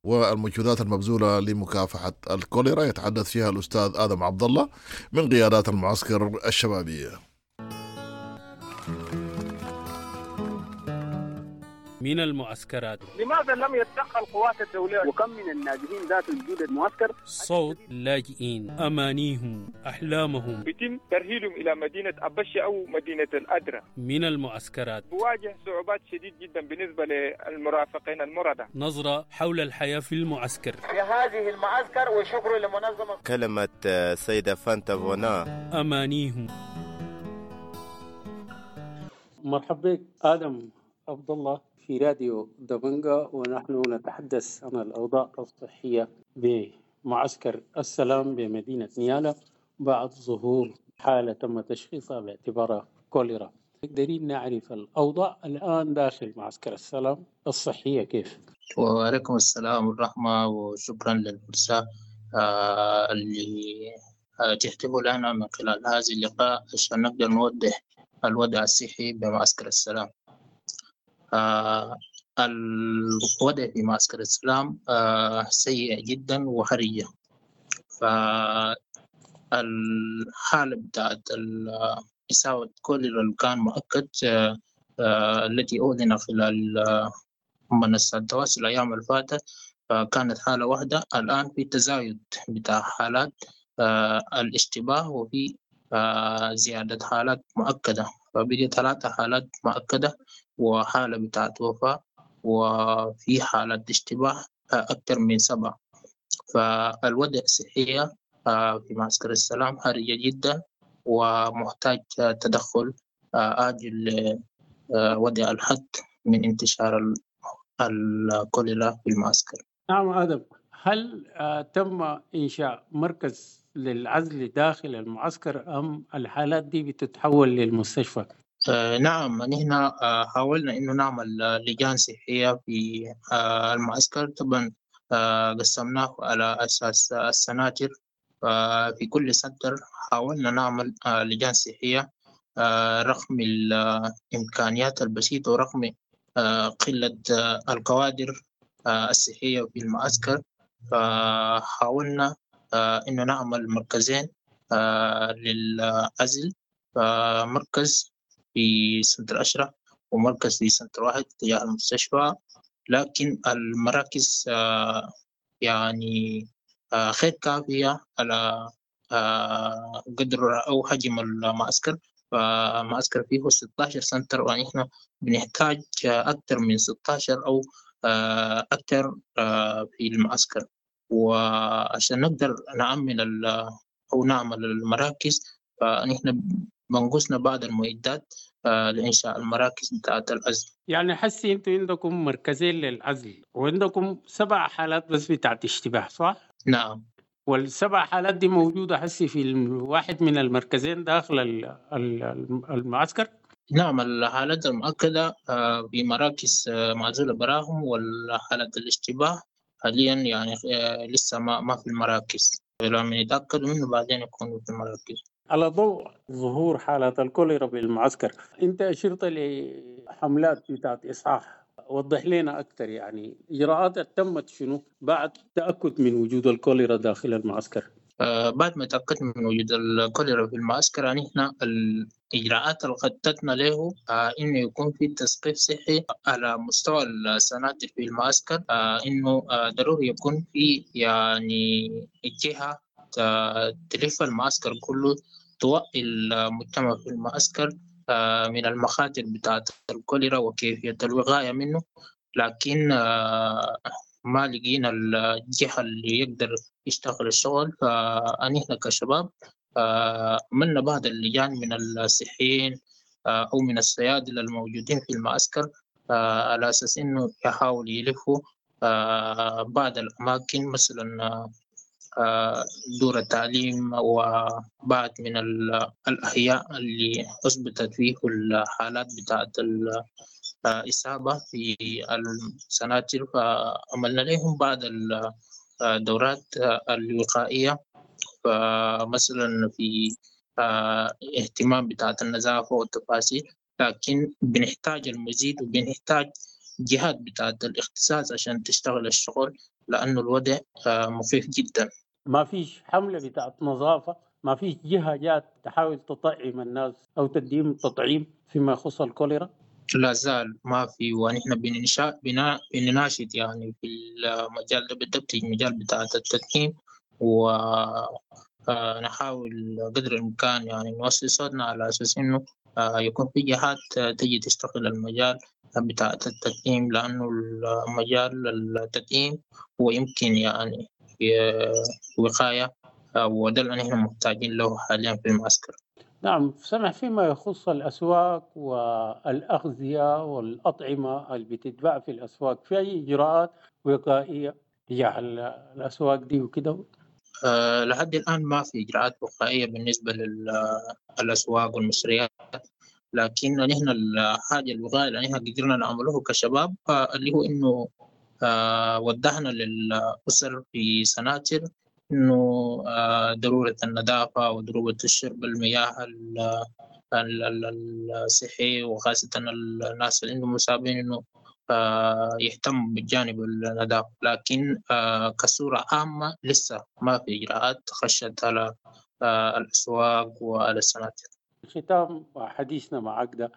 والمجهودات المبذولة لمكافحة الكوليرا، يتحدث فيها الأستاذ آدم عبد الله من قيادات المعسكر الشبابية. من المعسكرات، لماذا لم يتدخل قوات الدولية؟ وكم من النازحين ذات وجود المعسكر؟ صوت اللاجئين، أمانيهم، أحلامهم، بيتم ترحيلهم إلى مدينة أبشة أو مدينة الأدرة. من المعسكرات بواجه صعوبات شديد جدا بالنسبة للمرافقين المرضى. نظرة حول الحياة في المعسكر، في هذه المعسكر، وشكر لمنظمة. كلمة السيدة فانتا فونا، أمانيهم. مرحبا بك آدم عبد الله في راديو دبنجا، ونحن نتحدث عن الأوضاع الصحية بمعسكر السلام بمدينة نيالا بعد ظهور حالة تم تشخيصها باعتبارها كوليرا. قدرين نعرف الأوضاع الآن داخل معسكر السلام الصحية كيف؟ وعليكم السلام والرحمة، وشكرا للفرصة اللي تحتفوا لنا من خلال هذا اللقاء عشان نقدر نوضح الوضع الصحي بمعسكر السلام. الوضع في معسكر السلام سيء جدا وحرجة. فالحالة بتاعت إصابة كوليرا اللي كان مؤكد التي أعلن خلال منصات التواصل الأيام الفاتت فكانت حالة واحدة. الآن في تزايد بتاع حالات الاشتباه، وفي زيادة حالات مؤكدة، فبقي 3 حالات مؤكدة وحالة بتاعت وفاة، وفي حالة اشتباه أكثر من 7. فالوضع الصحي في معسكر السلام حرجة جدا ومحتاج تدخل عاجل لوضع الحد من انتشار الكوليرا في المعسكر. نعم آدم، هل تم إنشاء مركز للعزل داخل المعسكر أم الحالات دي بتتحول للمستشفى؟ نعم، نحن حاولنا إنه نعمل لجان صحية في المعسكر. طبعا قسمناه على أساس السناتر، في كل سنتر حاولنا نعمل لجان صحية رغم الإمكانيات البسيطة ورغم قلة الكوادر الصحية في المعسكر. فحاولنا إنه نعمل مركزين للعزل، مركز في سنتر أشرف ومركز في سنتر 1 تجاه المستشفى. لكن المراكز يعني غير كافية على قدر أو حجم المعسكر. فمعسكر فيه 16 سنتر، ونحن بنحتاج أكثر من 16 أو أكثر في المعسكر. وعشان نقدر نعمل أو نعمل المراكز فنحن بنقصنا بعض المعدات لإنشاء المراكز بتاعت العزل. يعني حسي أنتوا عندكم مركزين للعزل وعندكم 7 حالات بس بتاعت اشتباه، صح؟ نعم. وال7 حالات دي موجودة حسي في واحد من المركزين داخل المعسكر؟ نعم، الحالات المؤكدة في مراكز معزولة براهم، والحالات الاشتباه حاليا يعني لسه ما في المراكز، لما يتأكدوا منه بعدين يكونوا في المراكز. على ضوء ظهور حالات الكوليرا بالمعسكر، انت اشرت لحملات بتاعت اصحاح، وضح لنا اكثر يعني اجراءات تمت شنو بعد تاكد من وجود الكوليرا داخل المعسكر؟ بعد ما تأكدنا من وجود الكوليرا في المعسكر، يعني احنا الإجراءات اللي خططنا له إنه يكون في تثقيف صحي على مستوى السناتر في المعسكر، إنه ضروري يكون في يعني جهة تلف المعسكر كله، توعي المجتمع في المعسكر من المخاطر بتاعة الكوليرا وكيفية الوقاية منه. لكن ما لقينا الجهة اللي يقدر يشتغل الشغل، فنحن كشباب عملنا بعض اللجان من الصحيين أو من الصيادلة الموجودين في المعسكر، على أساس إنه يحاول يلفوا بعض الأماكن، مثلا دور التعليم وبعض من الأحياء اللي أثبتت فيه الحالات بتاعت الإصابة في السناتر، فعملنا لهم بعض الدورات الوقائية، فمثلا في اهتمام بتاعت النظافة والتفاصيل. لكن بنحتاج المزيد وبنحتاج جهات بتاعت الاختصاص عشان تشتغل الشغل، لأنه الوضع مخيف جدا. ما فيش حملة بتاعت نظافة، ما فيش جهة جات تحاول تطعم الناس أو تديهم تطعيم فيما يخص الكوليرا؟ لا زال ما في، ونحن بنناشد يعني في المجال ده بالضبط، المجال بتاع التدعيم، ونحاول قدر الإمكان يعني نوصل صوتنا على أساس إنه يكون في جهات تجي تشتغل المجال بتاع التدعيم، لأنه المجال التدعيم هو يمكن يعني وقاية، وده اللي نحن محتاجين له حاليا في المعسكر. نعم سمح، فيما يخص الأسواق والأغذية والأطعمة اللي بتتباع في الأسواق، في أي إجراءات وقائية تجاه الأسواق دي وكده؟ لحد الآن ما في إجراءات وقائية بالنسبة للأسواق والمشتريات، لكن نحن الحاجة الوقائية اللي نحن قدرنا نعمله كشباب اللي هو إنه وضحنا للأسر في سناتر إنه ضرورة النظافة وضرورة الشرب المياه الصحي، وخاصة الناس اللي عندهم مصابين إنه يهتموا بالجانب النظافة. لكن كصورة عامة لسه ما في إجراءات خشت على الأسواق وعلى السناتر. ختام حديثنا معك ده،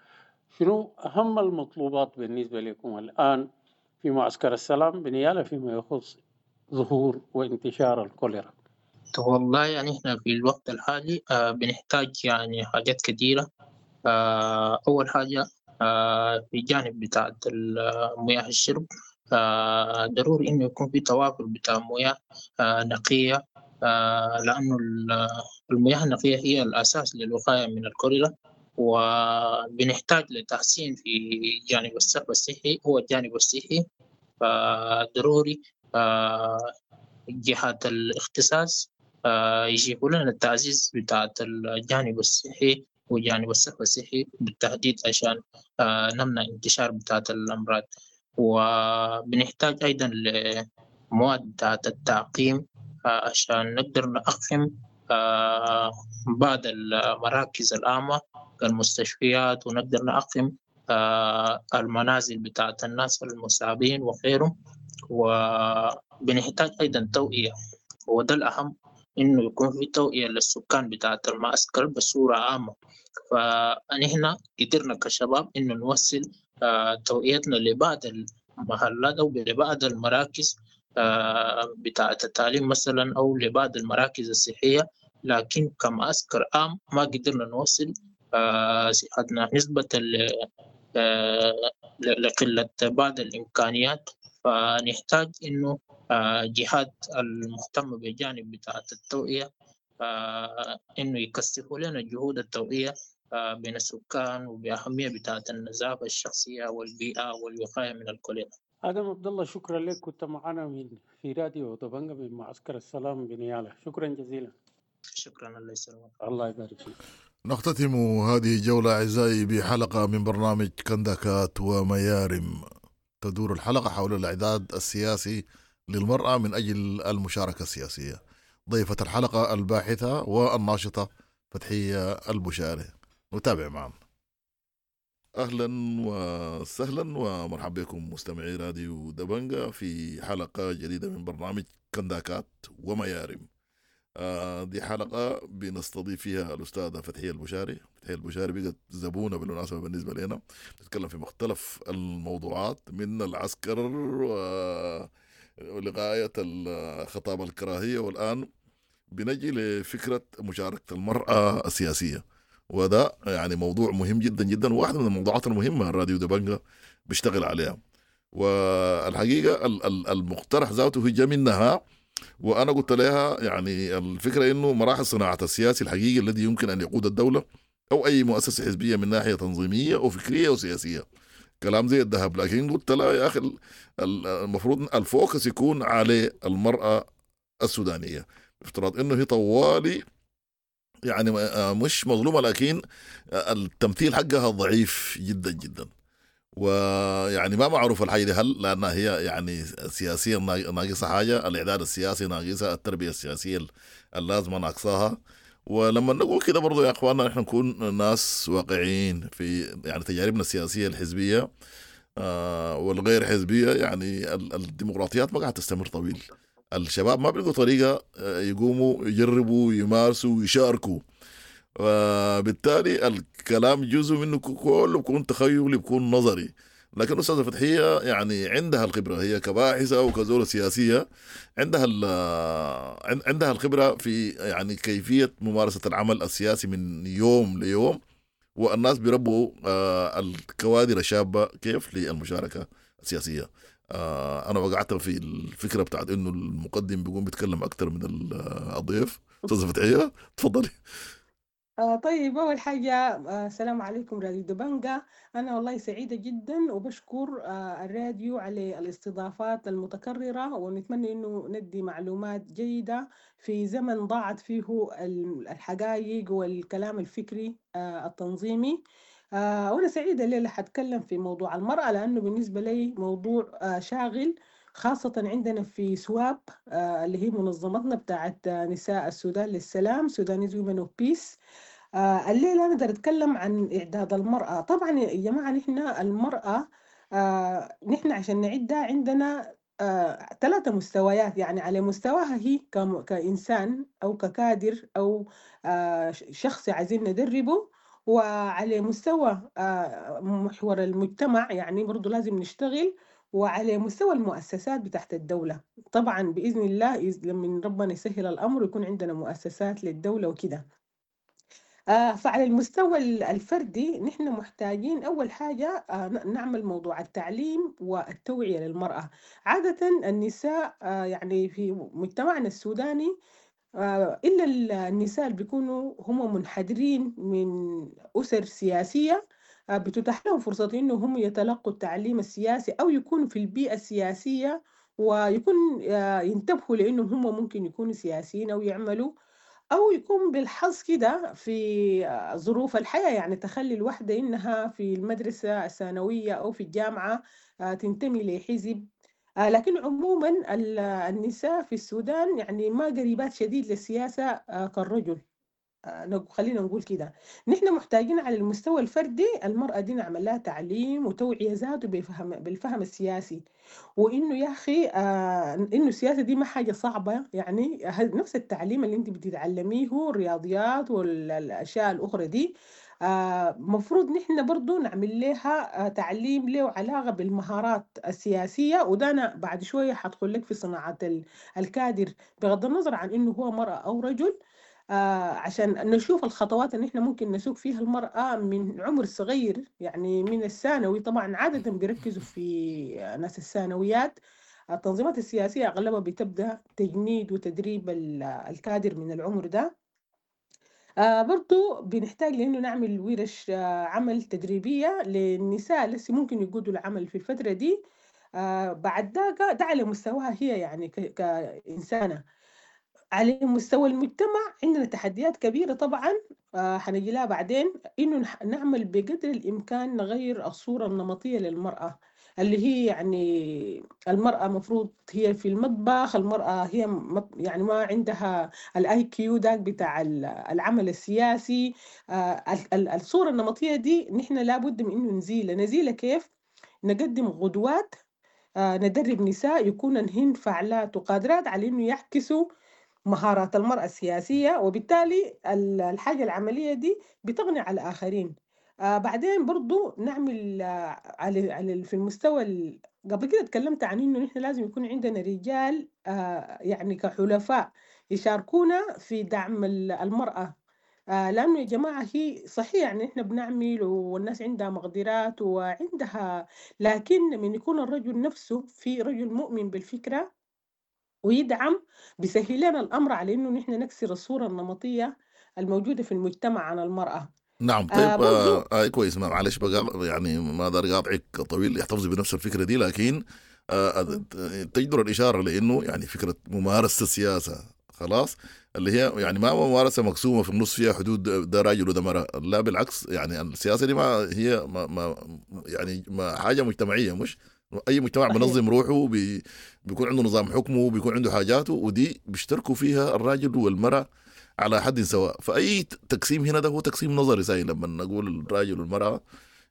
شنو أهم المطلوبات بالنسبة لكم الآن في معسكر السلام بنيالا فيما يخص ظهور وانتشار الكوليرا؟ والله يعني احنا في الوقت الحالي بنحتاج يعني حاجات كثيرة. أول حاجة في جانب بتاعة مياه الشرب، ضروري إنه يكون في توافر بتاع مياه نقية، لأنه المياه النقية هي الأساس للوقاية من الكوليرا. وبنحتاج لتحسين في جانب الصرف الصحي، هو الجانب الصحي، فضروري جهات الاختصاص يجيبوا لنا التعزيز بتاعة الجانب الصحي وجانب الصرف الصحي بالتحديد عشان نمنع انتشار بتاعة الأمراض. وبنحتاج أيضا لمواد بتاعة التعقيم عشان نقدر نعقم بعض المراكز العامة كالمستشفيات، ونقدر نعقم المنازل بتاعة الناس المصابين وغيرهم. وبنحتاج أيضا توعية، وده الأهم إنه يكون في توعية للسكان بتاعة المعسكر بصورة عامة. فنحن قدرنا كشباب إنه نوصل توعيتنا لبعض المحلات أو لبعض المراكز بتاعة التعليم مثلا، أو لبعض المراكز الصحية، لكن كمعسكر عام ما قدرنا نوصل صحتنا نسبة لقلة بعض الإمكانيات. فنحتاج إنه جهات المهتمة بجانب بتاعة التوعية إنه يكثفوا لنا جهود التوعية بين السكان وبأهمية بتاعة النظافة الشخصية والبيئة والوقاية من الكوليرا. آدم عبد الله، شكرا لك، كنت معنا من في راديو دبنجا من معسكر السلام بنيالا. شكرا جزيلا. شكرا، الله يسلمك. الله يبارك فيك. نختتم هذه الجولة أعزائي بحلقة من برنامج كندكات وميارم. تدور الحلقة حول الإعداد السياسي للمرأة من أجل المشاركة السياسية. ضيفة الحلقة الباحثة والناشطة فتحية البشاري. نتابع معنا. اهلا وسهلا ومرحبا بكم مستمعي راديو دبنجا في حلقة جديدة من برنامج كنداكات وميارم. دي حلقة بنستضيف فيها الاستاذة فتحيه البشاري. فتحيه البشاري بقت زبونه بالمناسبة بالنسبة لنا، بتتكلم في مختلف الموضوعات من العسكر ولغاية خطاب الكراهية، والان بنجي لفكرة مشاركة المراة السياسية، وده يعني موضوع مهم جدا جدا، واحدة من الموضوعات المهمة الراديو دبنجا بيشتغل عليها. والحقيقة المقترح ذاته جا منها، وأنا قلت لها يعني الفكرة إنه مراحل صناعة السياسي الحقيقي الذي يمكن أن يقود الدولة أو أي مؤسسة حزبية من ناحية تنظيمية وفكرية وسياسية، كلام زي الذهب. لكن قلت لها يا أخي المفروض ال focus يكون على المرأة السودانية، بافتراض إنه هي طوالي يعني مش مظلومة، لكن التمثيل حقها ضعيف جدا جدا، ويعني ما معروف الحاجة دي هل لأنها هي يعني سياسيا ناقصة حاجة، الإعداد السياسي ناقصة، التربية السياسية اللازمة ناقصاها. ولما نقول كده برضو يا أخواننا نحن نكون ناس واقعيين في يعني تجاربنا السياسية الحزبية والغير حزبية. يعني الديمقراطيات ما قاعدة تستمر طويل، الشباب ما بيلقوا طريقة يقوموا يجربوا يمارسوا ويشاركوا، وبالتالي الكلام جزء منه كله بيكون تخيلي، بيكون نظري. لكن الأستاذة فتحية يعني عندها الخبرة، هي كباحثة وكزولة سياسية عندها عندها الخبرة في يعني كيفية ممارسة العمل السياسي من يوم ليوم، والناس بيربوا الكوادر الشابة كيف للمشاركة السياسية. أنا وقعت في الفكرة بتاعت إنه المقدم بيقوم بيتكلم أكتر من الضيف. أستاذة فتحية تفضلي. طيب، أول حاجة السلام عليكم راديو دبنجا. أنا والله سعيدة جدا وبشكر الراديو على الاستضافات المتكررة، ونتمنى إنه ندي معلومات جيدة في زمن ضاعت فيه الحقائق والكلام الفكري التنظيمي. وأنا سعيدة الليلة حتكلم في موضوع المرأة، لأنه بالنسبة لي موضوع شاغل، خاصة عندنا في سواب اللي هي منظمتنا بتاعت نساء السودان للسلام، Sudanese Women of Peace. الليلة أنا أقدر أتكلم عن إعداد المرأة. طبعا يا جماعة نحن المرأة نحن عشان نعدها عندنا 3 مستويات، يعني على مستواها هي كإنسان أو ككادر أو شخص عايزين ندربه، وعلى مستوى محور المجتمع يعني برضو لازم نشتغل، وعلى مستوى المؤسسات بتاعت الدولة. طبعا بإذن الله لما ربنا يسهل الأمر يكون عندنا مؤسسات للدولة وكده. فعلى المستوى الفردي نحن محتاجين أول حاجة نعمل موضوع التعليم والتوعية للمرأة. عادة النساء يعني في مجتمعنا السوداني إلا النساء اللي بيكونوا هم منحدرين من أسر سياسية بتتاح لهم فرصة إنه هم يتلقوا التعليم السياسي أو يكونوا في البيئة السياسية، ويكون ينتبهوا لأنه هم ممكن يكونوا سياسيين أو يعملوا، أو يكون بالحظ كده في ظروف الحياة، يعني تخلي الوحدة إنها في المدرسة الثانوية أو في الجامعة تنتمي لحزب. لكن عموما النساء في السودان يعني ما قريبات شديد للسياسة كالرجل، خلينا نقول كده. نحن محتاجين على المستوى الفردي المرأة دي نعمل لها تعليم وتوعية ذاته بالفهم السياسي، وإنه يا أخي إنه السياسة دي ما حاجة صعبة، يعني نفس التعليم اللي أنت بتتعلميه الرياضيات والأشياء الأخرى دي مفروض نحن برضو نعمل لها تعليم له علاقة بالمهارات السياسية. وده أنا بعد شوية حدخل لك في صناعة الكادر بغض النظر عن إنه هو مرأة أو رجل، عشان نشوف الخطوات اللي احنا ممكن نسوق فيها المرأة من عمر صغير، يعني من الثانوي. طبعا عادة بيركزوا في ناس الثانويات، التنظيمات السياسية أغلبها بتبدأ تجنيد وتدريب الكادر من العمر ده. برضو بنحتاج لأنه نعمل ورش عمل تدريبية للنساء لسه ممكن يقودوا العمل في الفترة دي. بعد ذاك ده على مستواها هي يعني كإنسانة. على مستوى المجتمع عندنا تحديات كبيرة طبعا، حنجي لها بعدين، إنه نعمل بقدر الإمكان نغير الصورة النمطية للمرأة. اللي هي يعني المرأة مفروض هي في المطبخ، المرأة هي يعني ما عندها ال IQ داك بتاع العمل السياسي. الصورة النمطية دي نحن لابد من إنه نزيلها. نزيلها كيف؟ نقدم قدوات، ندرب نساء يكون هن فاعلات وقادرات على إنه يعكسوا مهارات المرأة السياسية، وبالتالي الحاجة العملية دي بتغني على الآخرين. بعدين برضو نعمل على في المستوى قبل كده تكلمت عن إنه نحن لازم يكون عندنا رجال يعني كحلفاء يشاركونا في دعم المرأة، لأنه يا جماعة هي صحيح يعني إحنا بنعمل والناس عندها مقدرات وعندها، لكن من يكون الرجل نفسه في رجل مؤمن بالفكرة ويدعم بيسهل لنا الأمر على إنه نحن نكسر الصورة النمطية الموجودة في المجتمع عن المرأة. نعم طيب برضو كويس، معلش بقى يعني ما دار قاطعك طويل، يحتفظ بنفس الفكرة دي، لكن تجدر الإشارة لأنه يعني فكرة ممارسة السياسة خلاص اللي هي يعني ما ممارسة مقسومة في النص فيها حدود ده راجل وده مرأة، لا بالعكس، يعني السياسة دي ما هي ما يعني ما حاجة مجتمعية، مش أي مجتمع بنظم روحه بيكون عنده نظام حكمه بيكون عنده حاجاته، ودي بيشتركوا فيها الراجل والمرأة على حد سواء. فأي تقسيم هنا ده هو تقسيم نظري ساي، لما نقول الراجل والمرأة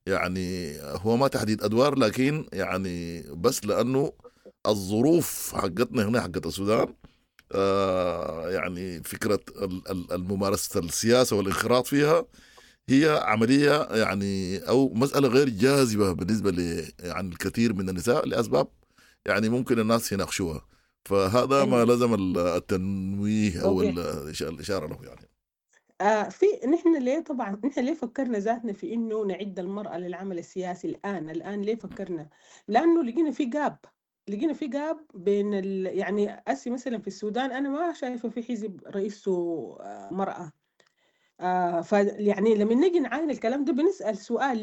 يعني هو ما تحديد أدوار، لكن يعني بس لأنه الظروف حقتنا هنا حقت السودان يعني فكرة الممارسة السياسة والانخراط فيها هي عملية يعني أو مسألة غير جاذبة بالنسبة ل يعني الكثير من النساء لأسباب يعني ممكن الناس يناقشوها، فهذا ما لزم التنويه أو الإشارة له. يعني في نحن ليه طبعا نحن ليه فكرنا ذاتنا في إنه نعد المرأة للعمل السياسي الآن ليه فكرنا؟ لأنه لقينا في gap، لقينا في gap بين يعني أسي مثلا في السودان أنا ما شايفة في حزب رئيسه مرأة. يعني لما نجي نعاين الكلام ده بنسأل سؤال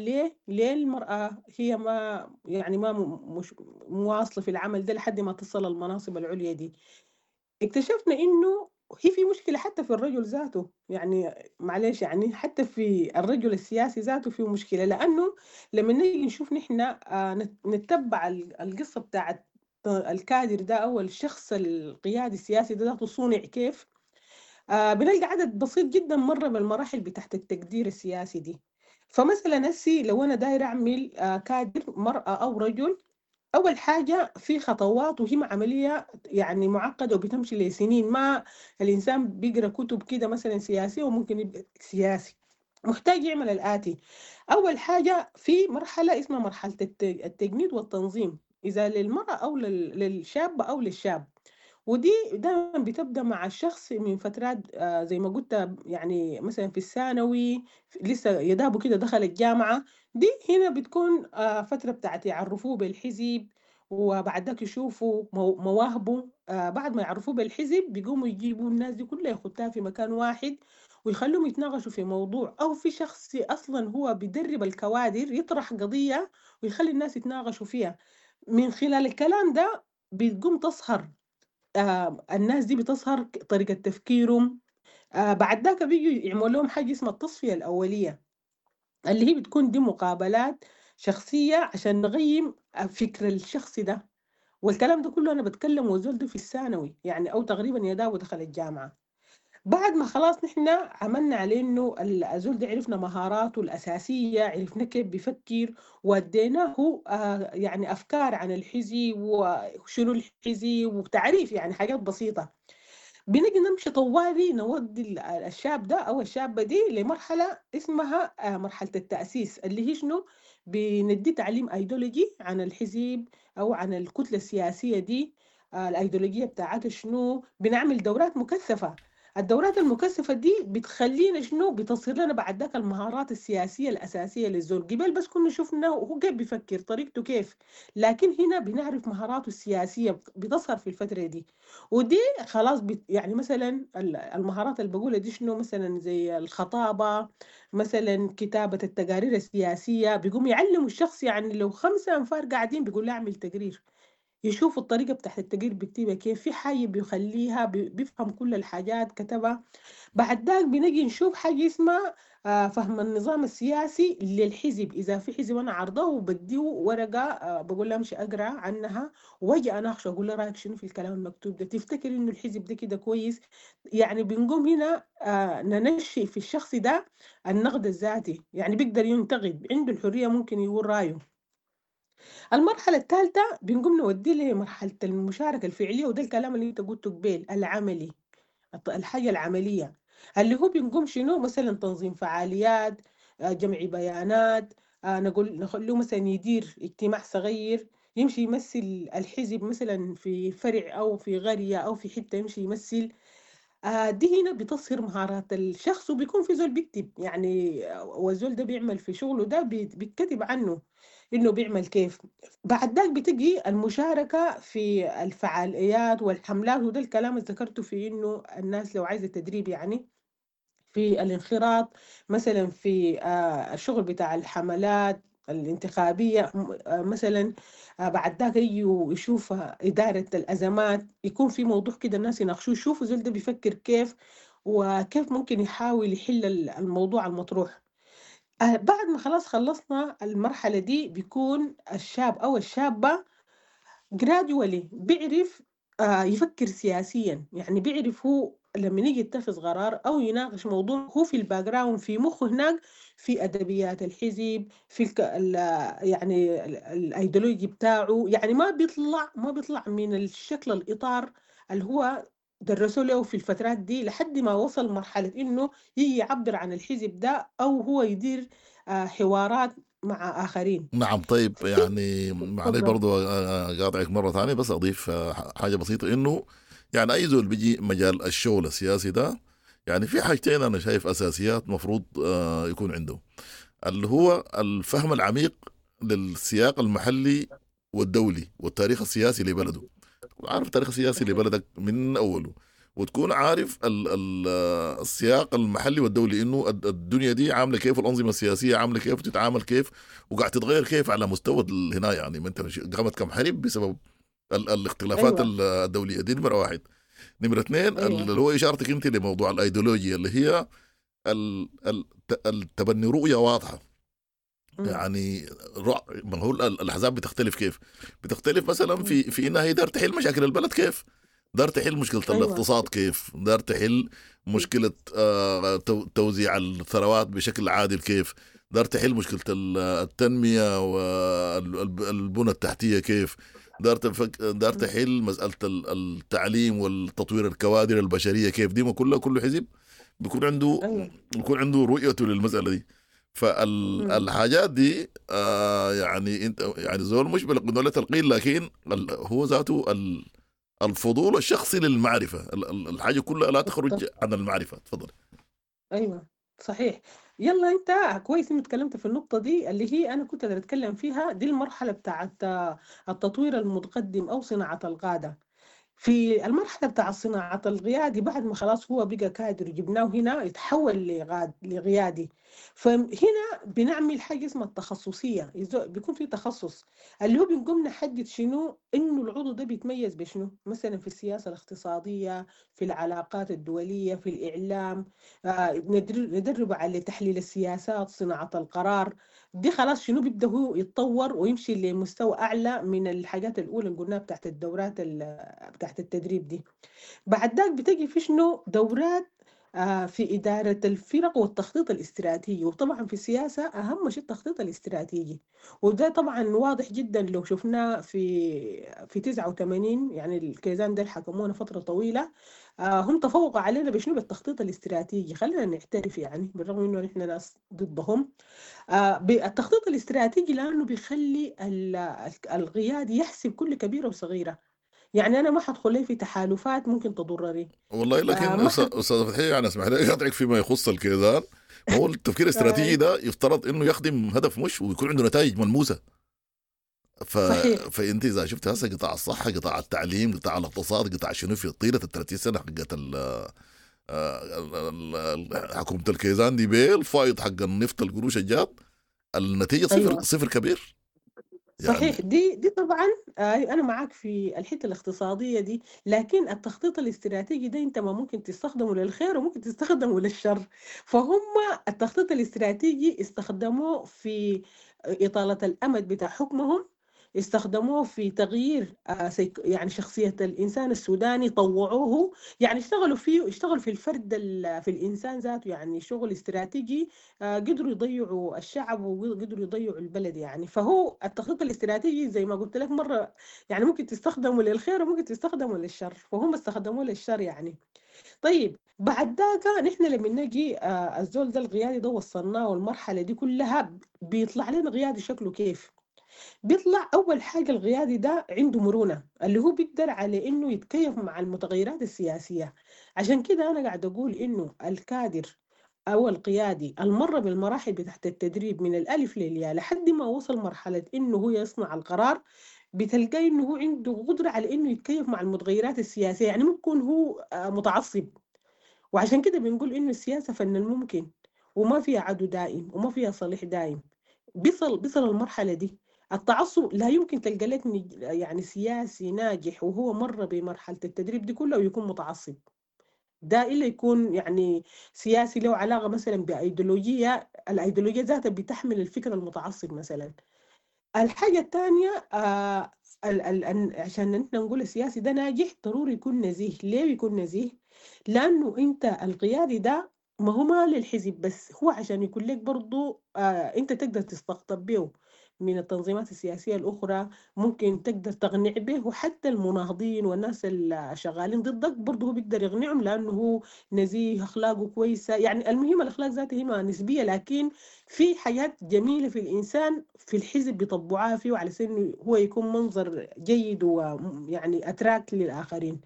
ليه المرأة هي ما يعني ما مش مواصلة في العمل ده لحد ما تصل المناصب العليا دي. اكتشفنا إنه هي في مشكلة حتى في الرجل ذاته، يعني معلش يعني حتى في الرجل السياسي ذاته في مشكلة، لأنه لما نيجي نشوف نحن نتبع القصة بتاعت الكادر ده أو الشخص القيادي السياسي ده ذاته صنع كيف، بنلقى عدد بسيط جدا مرة بالمراحل بتاعت التقدير السياسي دي. فمثلا هسي لو أنا داير أعمل كادر مرأة أو رجل، أول حاجة في خطوات وهي عملية يعني معقدة وبتمشي لسنين، ما الإنسان بيقرأ كتب كده مثلا سياسية وممكن يبقى سياسي، محتاج يعمل الآتي. أول حاجة في مرحلة اسمها مرحلة التجنيد والتنظيم، إذا للمرأة أو للشاب أو للشاب، ودي دائما بتبدأ مع الشخص من فترات زي ما قلت يعني مثلا في الثانوي لسه يدابه كده دخل الجامعة، دي هنا بتكون فترة بتاعت يعرفوه بالحزب وبعد ذاك يشوفوا مواهبه. بعد ما يعرفوه بالحزب بيقوموا يجيبوا الناس دي كلها يخدتها في مكان واحد ويخلوهم يتناقشوا في موضوع، أو في شخص أصلا هو بيدرب الكوادر يطرح قضية ويخلي الناس يتناقشوا فيها. من خلال الكلام ده بتقوم تظهر الناس دي بتظهر طريقة تفكيرهم. بعد ذاك بيجوا يعملوا لهم حاجة اسمها التصفية الأولية، اللي هي بتكون دي مقابلات شخصية عشان نقيم فكر الشخص ده. والكلام ده كله أنا بتكلم وزول ده في الثانوي يعني أو تقريبا يداو دخل الجامعة. بعد ما خلاص نحن عملنا عليه إنه الزول ده عرفنا مهاراته الأساسية، عرفنا كيف بيفكر، واديناه يعني أفكار عن الحزب وشنو الحزب وتعريف يعني حاجات بسيطة. بنجي نمشي طوالي نودي الشاب ده أو الشابة دي لمرحلة اسمها مرحلة التأسيس، اللي هي شنو؟ بندي تعليم أيديولوجي عن الحزب أو عن الكتلة السياسية دي، الأيديولوجية بتاعتها شنو. بنعمل دورات مكثفة، الدورات المكثفة دي بتخلينا شنو؟ بتصير لنا بعد ذاك المهارات السياسية الأساسية للزول. قبل بس كنا شفنا وهو كيف بيفكر طريقته كيف، لكن هنا بنعرف مهاراته السياسية بتظهر في الفترة دي. ودي خلاص يعني مثلا المهارات اللي بقولها دي شنو؟ مثلا زي الخطابة، مثلا كتابة التقارير السياسية، بيقوم يعلموا الشخص يعني لو 5 أنفار قاعدين بيقول له اعمل تقرير. يشوف الطريقة بتاعت التقرير بيكتبها كيف، في حاجة بيخليها بيفهم كل الحاجات كتبها. بعد ذاك بنجي نشوف حاجة اسمها فهم النظام السياسي للحزب. إذا في حزب أنا عارضاه وبديه ورقة، بقول له امشي أقرأ عنها واجي أناقشه، أقول له رأيك شنو في الكلام المكتوب ده، تفتكر إنه الحزب ده كده كويس؟ يعني بنقوم هنا ننشئ في الشخص ده النقد الذاتي، يعني بيقدر ينتقد، عنده الحرية ممكن يقول رأيه. المرحلة الثالثة بنقوم نوديه لمرحلة المشاركة الفعلية، وده الكلام اللي انت قلته قبيل، العملي، الحاجة العملية اللي هو بنقوم شنو، مثلا تنظيم فعاليات، جمع بيانات، نقول نخليه مثلا يدير اجتماع صغير، يمشي يمثل الحزب مثلا في فرع أو في قرية أو في حتة، يمشي يمثل. دي هنا بتصهر مهارات الشخص، وبيكون في زول بيكتب يعني، والزول ده بيعمل في شغله ده بيتكتب عنه إنه بيعمل كيف. بعد ذاك بتجي المشاركة في الفعاليات والحملات، وده الكلام اللي ذكرته في إنه الناس لو عايزة تدريب يعني في الانخراط مثلا في الشغل بتاع الحملات الانتخابية مثلا. بعد ذاك يجوا يشوف إدارة الأزمات، يكون في موضوع كده الناس يناقشوه، يشوفوا زول ده بيفكر كيف وكيف ممكن يحاول يحل الموضوع المطروح. بعد ما خلاص خلصنا المرحلة دي، بيكون الشاب أو الشابة gradually بيعرف يفكر سياسيا، يعني بيعرف هو لما يجي يتخذ قرار أو يناقش موضوع، هو في ال background في مخه هناك في أدبيات الحزب، في يعني الأيديولوجي بتاعه، يعني ما بيطلع من الشكل الإطار اللي هو درسوا له في الفترات دي لحد ما وصل مرحلة إنه يجي يعبر عن الحزب ده أو هو يدير حوارات مع آخرين. نعم. طيب يعني معلش تفضل. برضو قاطعك مرة ثانية، بس أضيف حاجة بسيطة، إنه يعني أي زول بيجي مجال الشغل السياسي ده، يعني في حاجتين أنا شايف أساسيات مفروض يكون عنده، اللي هو الفهم العميق للسياق المحلي والدولي والتاريخ السياسي لبلده. عارف التاريخ السياسي لبلدك من أوله، وتكون عارف السياق المحلي والدولي، إنه الدنيا دي عاملة كيف، والأنظمة السياسية عاملة كيف، وتتعامل كيف، وقاعد تتغير كيف على مستوى هنا. يعني ما أنت قامت كم حرب بسبب الاختلافات الدولية دي. نمرة واحد. نمرة اثنين، اللي هو إشارتك أنت لموضوع الأيديولوجيا، اللي هي التبني رؤية واضحة. يعني ما هو الأحزاب بتختلف كيف؟ بتختلف مثلا في إنها هي دار تحل مشاكل البلد كيف؟ دار تحل مشكلة الاقتصاد كيف؟ دار تحل مشكلة توزيع الثروات بشكل عادل كيف؟ دار تحل مشكلة التنمية والبنى التحتية كيف؟ دار تحل مسألة التعليم والتطوير الكوادر البشرية كيف؟ دي ما كلها كل حزب بيكون عنده بيكون عنده رؤيته للمسألة دي. فالحاجات دي يعني انت يعني زول مش بالقنوله تلقين، لكن هو ذاته الفضول الشخصي للمعرفة، الحاجة كلها لا تخرج عن المعرفة. تفضل. ايوه صحيح. يلا انت كويس انك اتكلمت في النقطة دي اللي هي انا كنت اتكلم فيها، دي المرحلة بتاعت التطوير المتقدم او صناعة القادة. في المرحلة بتاع صناعة القيادي بعد ما خلاص هو بقى كادر جبناه هنا يتحول لقيادي، فهنا بنعمل حاجة اسمها التخصصية، بيكون في تخصص اللي هو بنقوم نحدد شنو إنه العضو ده بيتميز بشنو، مثلا في السياسة الاقتصادية، في العلاقات الدولية، في الإعلام، ندربه على تحليل السياسات، صناعة القرار. دي خلاص شنو بيبدأ هو يتطور ويمشي لمستوى أعلى من الحاجات الأولى اللي قلناها بتاعت الدورات بتاعت التدريب دي. بعد ذاك بتجي في شنو دورات في إدارة الفرق والتخطيط الاستراتيجي. وطبعا في السياسة أهم شيء التخطيط الاستراتيجي، وده طبعا واضح جدا لو شفناه في 89، يعني الكيزان ده حكمونا فترة طويلة، هم تفوقوا علينا بشنو؟ بالتخطيط الاستراتيجي. خلينا نعترف يعني بالرغم إنه نحن ناس ضدهم، بالتخطيط الاستراتيجي، لأنه بيخلي القيادي يحسب كل كبيرة وصغيرة. يعني أنا ما حدخل لي في تحالفات ممكن تضرني. والله لكن أستاذ فتحية، يعني اسمح لي أقاطعك فيما يخص الكيزان. ما هو التفكير الاستراتيجي ده يفترض إنه يخدم هدف مش ويكون عنده نتائج ملموسة. صحيح. فأنت إذا شفت هسه قطاع الصحة، قطاع التعليم، قطاع الاقتصاد، قطاع شنو في طيلة 30 سنة حقت حكومة الكيزان دي بالفايض حق النفط القروش الجات، النتيجة صفر. أيوة. صفر كبير. يعني صحيح، دي طبعا انا معاك في الحتة الاقتصادية دي، لكن التخطيط الاستراتيجي ده انت ما ممكن تستخدمه للخير وممكن تستخدمه للشر. فهم التخطيط الاستراتيجي استخدموه في اطاله الامد بتاع حكمهم، استخدموه في تغيير يعني شخصية الإنسان السوداني، طوعوه، يعني اشتغلوا فيه، اشتغلوا في الفرد في الإنسان ذاته، يعني شغل استراتيجي. قدروا يضيعوا الشعب وقدروا يضيعوا البلد يعني. فهو التخطيط الاستراتيجي زي ما قلت لك مرة، يعني ممكن تستخدمه للخير وممكن تستخدمه للشر، فهم استخدموه للشر يعني. طيب بعد ذاك نحن لما نجي الزول ده القيادي ده وصلناه والمرحلة دي كلها، بيطلع لنا قيادي شكله كيف؟ بيطلع أول حاجة القيادي ده عنده مرونة، اللي هو بيقدر على إنه يتكيف مع المتغيرات السياسية. عشان كده أنا قاعد أقول إنه الكادر أو القيادي المر بالمراحل بتاعت التدريب من الألف للياء لحد ما وصل مرحلة إنه هو يصنع القرار، بتلقاه إنه هو عنده قدرة على إنه يتكيف مع المتغيرات السياسية، يعني ممكن هو متعصب. وعشان كده بنقول إنه السياسة فن الممكن، وما فيها عدو دائم وما فيها صليح دائم. بيصل المرحلة دي. التعصب لا يمكن تلقى لك يعني سياسي ناجح وهو مر بمرحلة التدريب دي كلها ويكون متعصب، ده إلا يكون يعني سياسي له علاقة مثلا بأيديولوجية، الأيديولوجية ذاتها بتحمل الفكر المتعصب مثلا. الحاجة الثانية عشان نحن نقول السياسي ده ناجح ضروري يكون نزيه. ليه يكون نزيه؟ لأنه أنت القيادي ده ما هو ما للحزب بس، هو عشان يكون لك برضو أنت تقدر تستقطب به من التنظيمات السياسية الأخرى، ممكن تقدر تقنع به، وحتى المناهضين والناس اللي شغالين ضدك برضه هو بيقدر يقنعهم لأنه هو نزيه، أخلاقه كويسة. يعني المهم الأخلاق ذاتها هي ما نسبية، لكن في حاجات جميلة في الإنسان في الحزب بيطبعوها فيه على أساس إنه هو يكون منظر جيد ويعني أتراك للآخرين.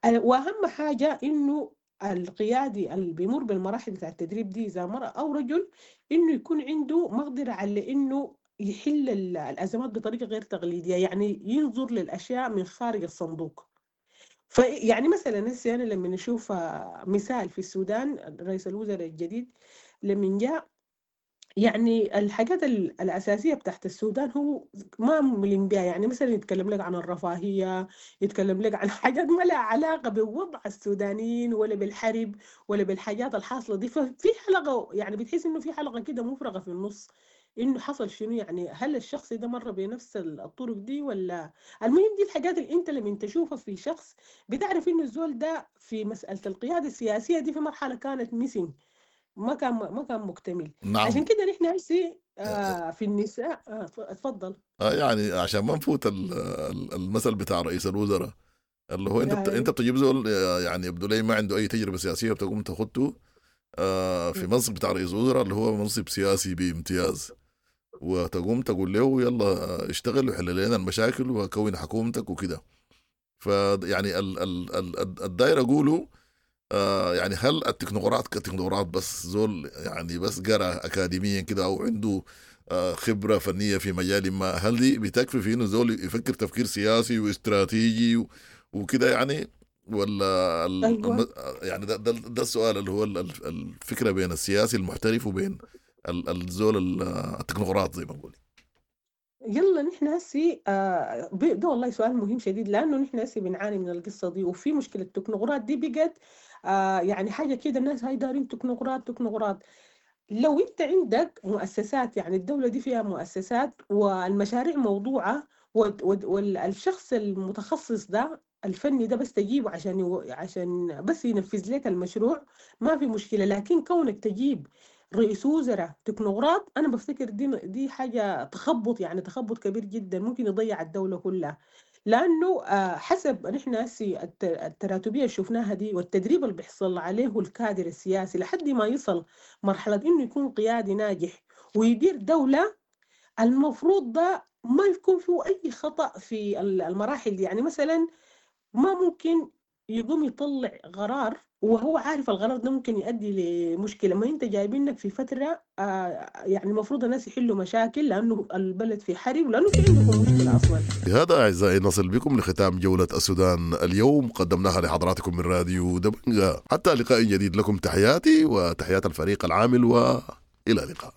وأهم حاجة إنه القيادي اللي بيمر بالمراحل بتاع التدريب دي إذا مرأة أو رجل، إنه يكون عنده مقدرة على إنه يحل الأزمات بطريقة غير تقليدية، يعني ينظر للأشياء من خارج الصندوق. فيعني مثلا هسه أنا لما نشوف مثال في السودان، رئيس الوزراء الجديد لما جاء، يعني الحاجات الأساسية بتاعت السودان هو ما ملم بها. يعني مثلا يتكلم لك عن الرفاهية، يتكلم لك عن حاجات ما لها علاقة بوضع السودانيين ولا بالحرب ولا بالحاجات الحاصلة دي. ففي حلقة يعني بتحس إنه في حلقة كده مفرغة في النص، إنه حصل شنو، يعني هل الشخص ده مر بنفس الطرق دي ولا. المهم دي الحاجات اللي أنت لما تشوفها في شخص بتعرف إنه الزول ده في مسألة القيادة السياسية دي في مرحلة كانت missing، ما كان مكتمل. نعم. عشان كده نحن هسي في النساء. اتفضل. يعني عشان ما نفوت المثل بتاع رئيس الوزراء اللي هو انت انت بتجيب زول يعني يبدو لي ما عنده اي تجربه سياسية، بتقوم تاخده في منصب بتاع رئيس الوزراء اللي هو منصب سياسي بامتياز، وتقوم تقول له يلا اشتغل وحل لنا المشاكل وكون حكومتك وكده. فيعني الدايرة اقوله يعني هل التكنوقراط كتكنوقراط بس زول يعني بس قرأ أكاديميا كده أو عنده خبرة فنية في مجال ما، هل دي بتكفي في إنه زول يفكر تفكير سياسي واستراتيجي وكده يعني؟ ولا أيوة. يعني ده السؤال اللي هو الفكرة بين السياسي المحترف وبين الزول التكنوقراط زي ما نقول. يلا نحن هسي ده والله سؤال مهم شديد، لأنه نحن هسي بنعاني من القصة دي، وفي مشكلة التكنوقراط دي بقت يعني حاجة كده، الناس هاي دارين تكنوقراط تكنوقراط. لو انت عندك مؤسسات، يعني الدولة دي فيها مؤسسات والمشاريع موضوعة، والشخص المتخصص ده الفني ده بس تجيبه عشان بس ينفذ لك المشروع، ما في مشكلة. لكن كونك تجيب رئيس وزراء تكنوقراط، أنا بفتكر دي حاجة تخبط، يعني تخبط كبير جدا ممكن يضيع الدولة كلها. لأنه حسب نحن هسي التراتبية اللي شفناها دي والتدريب اللي بيحصل عليه الكادر السياسي لحد ما يصل مرحلة إنه يكون قيادي ناجح ويدير دولة، المفروض ده ما يكون فيه أي خطأ في المراحل دي. يعني مثلا ما ممكن يقوم يطلع قرار وهو عارف القرار ده ممكن يؤدي لمشكلة. ما انت جايبينك في فترة يعني المفروض الناس يحلوا مشاكل لأنه البلد في حرب ولأنه في عندكم مشكلة أصلا. بهذا أعزائي نصل بكم لختام جولة السودان اليوم، قدمناها لحضراتكم من راديو دبنجا. حتى لقاء جديد، لكم تحياتي وتحيات الفريق العامل، وإلى اللقاء.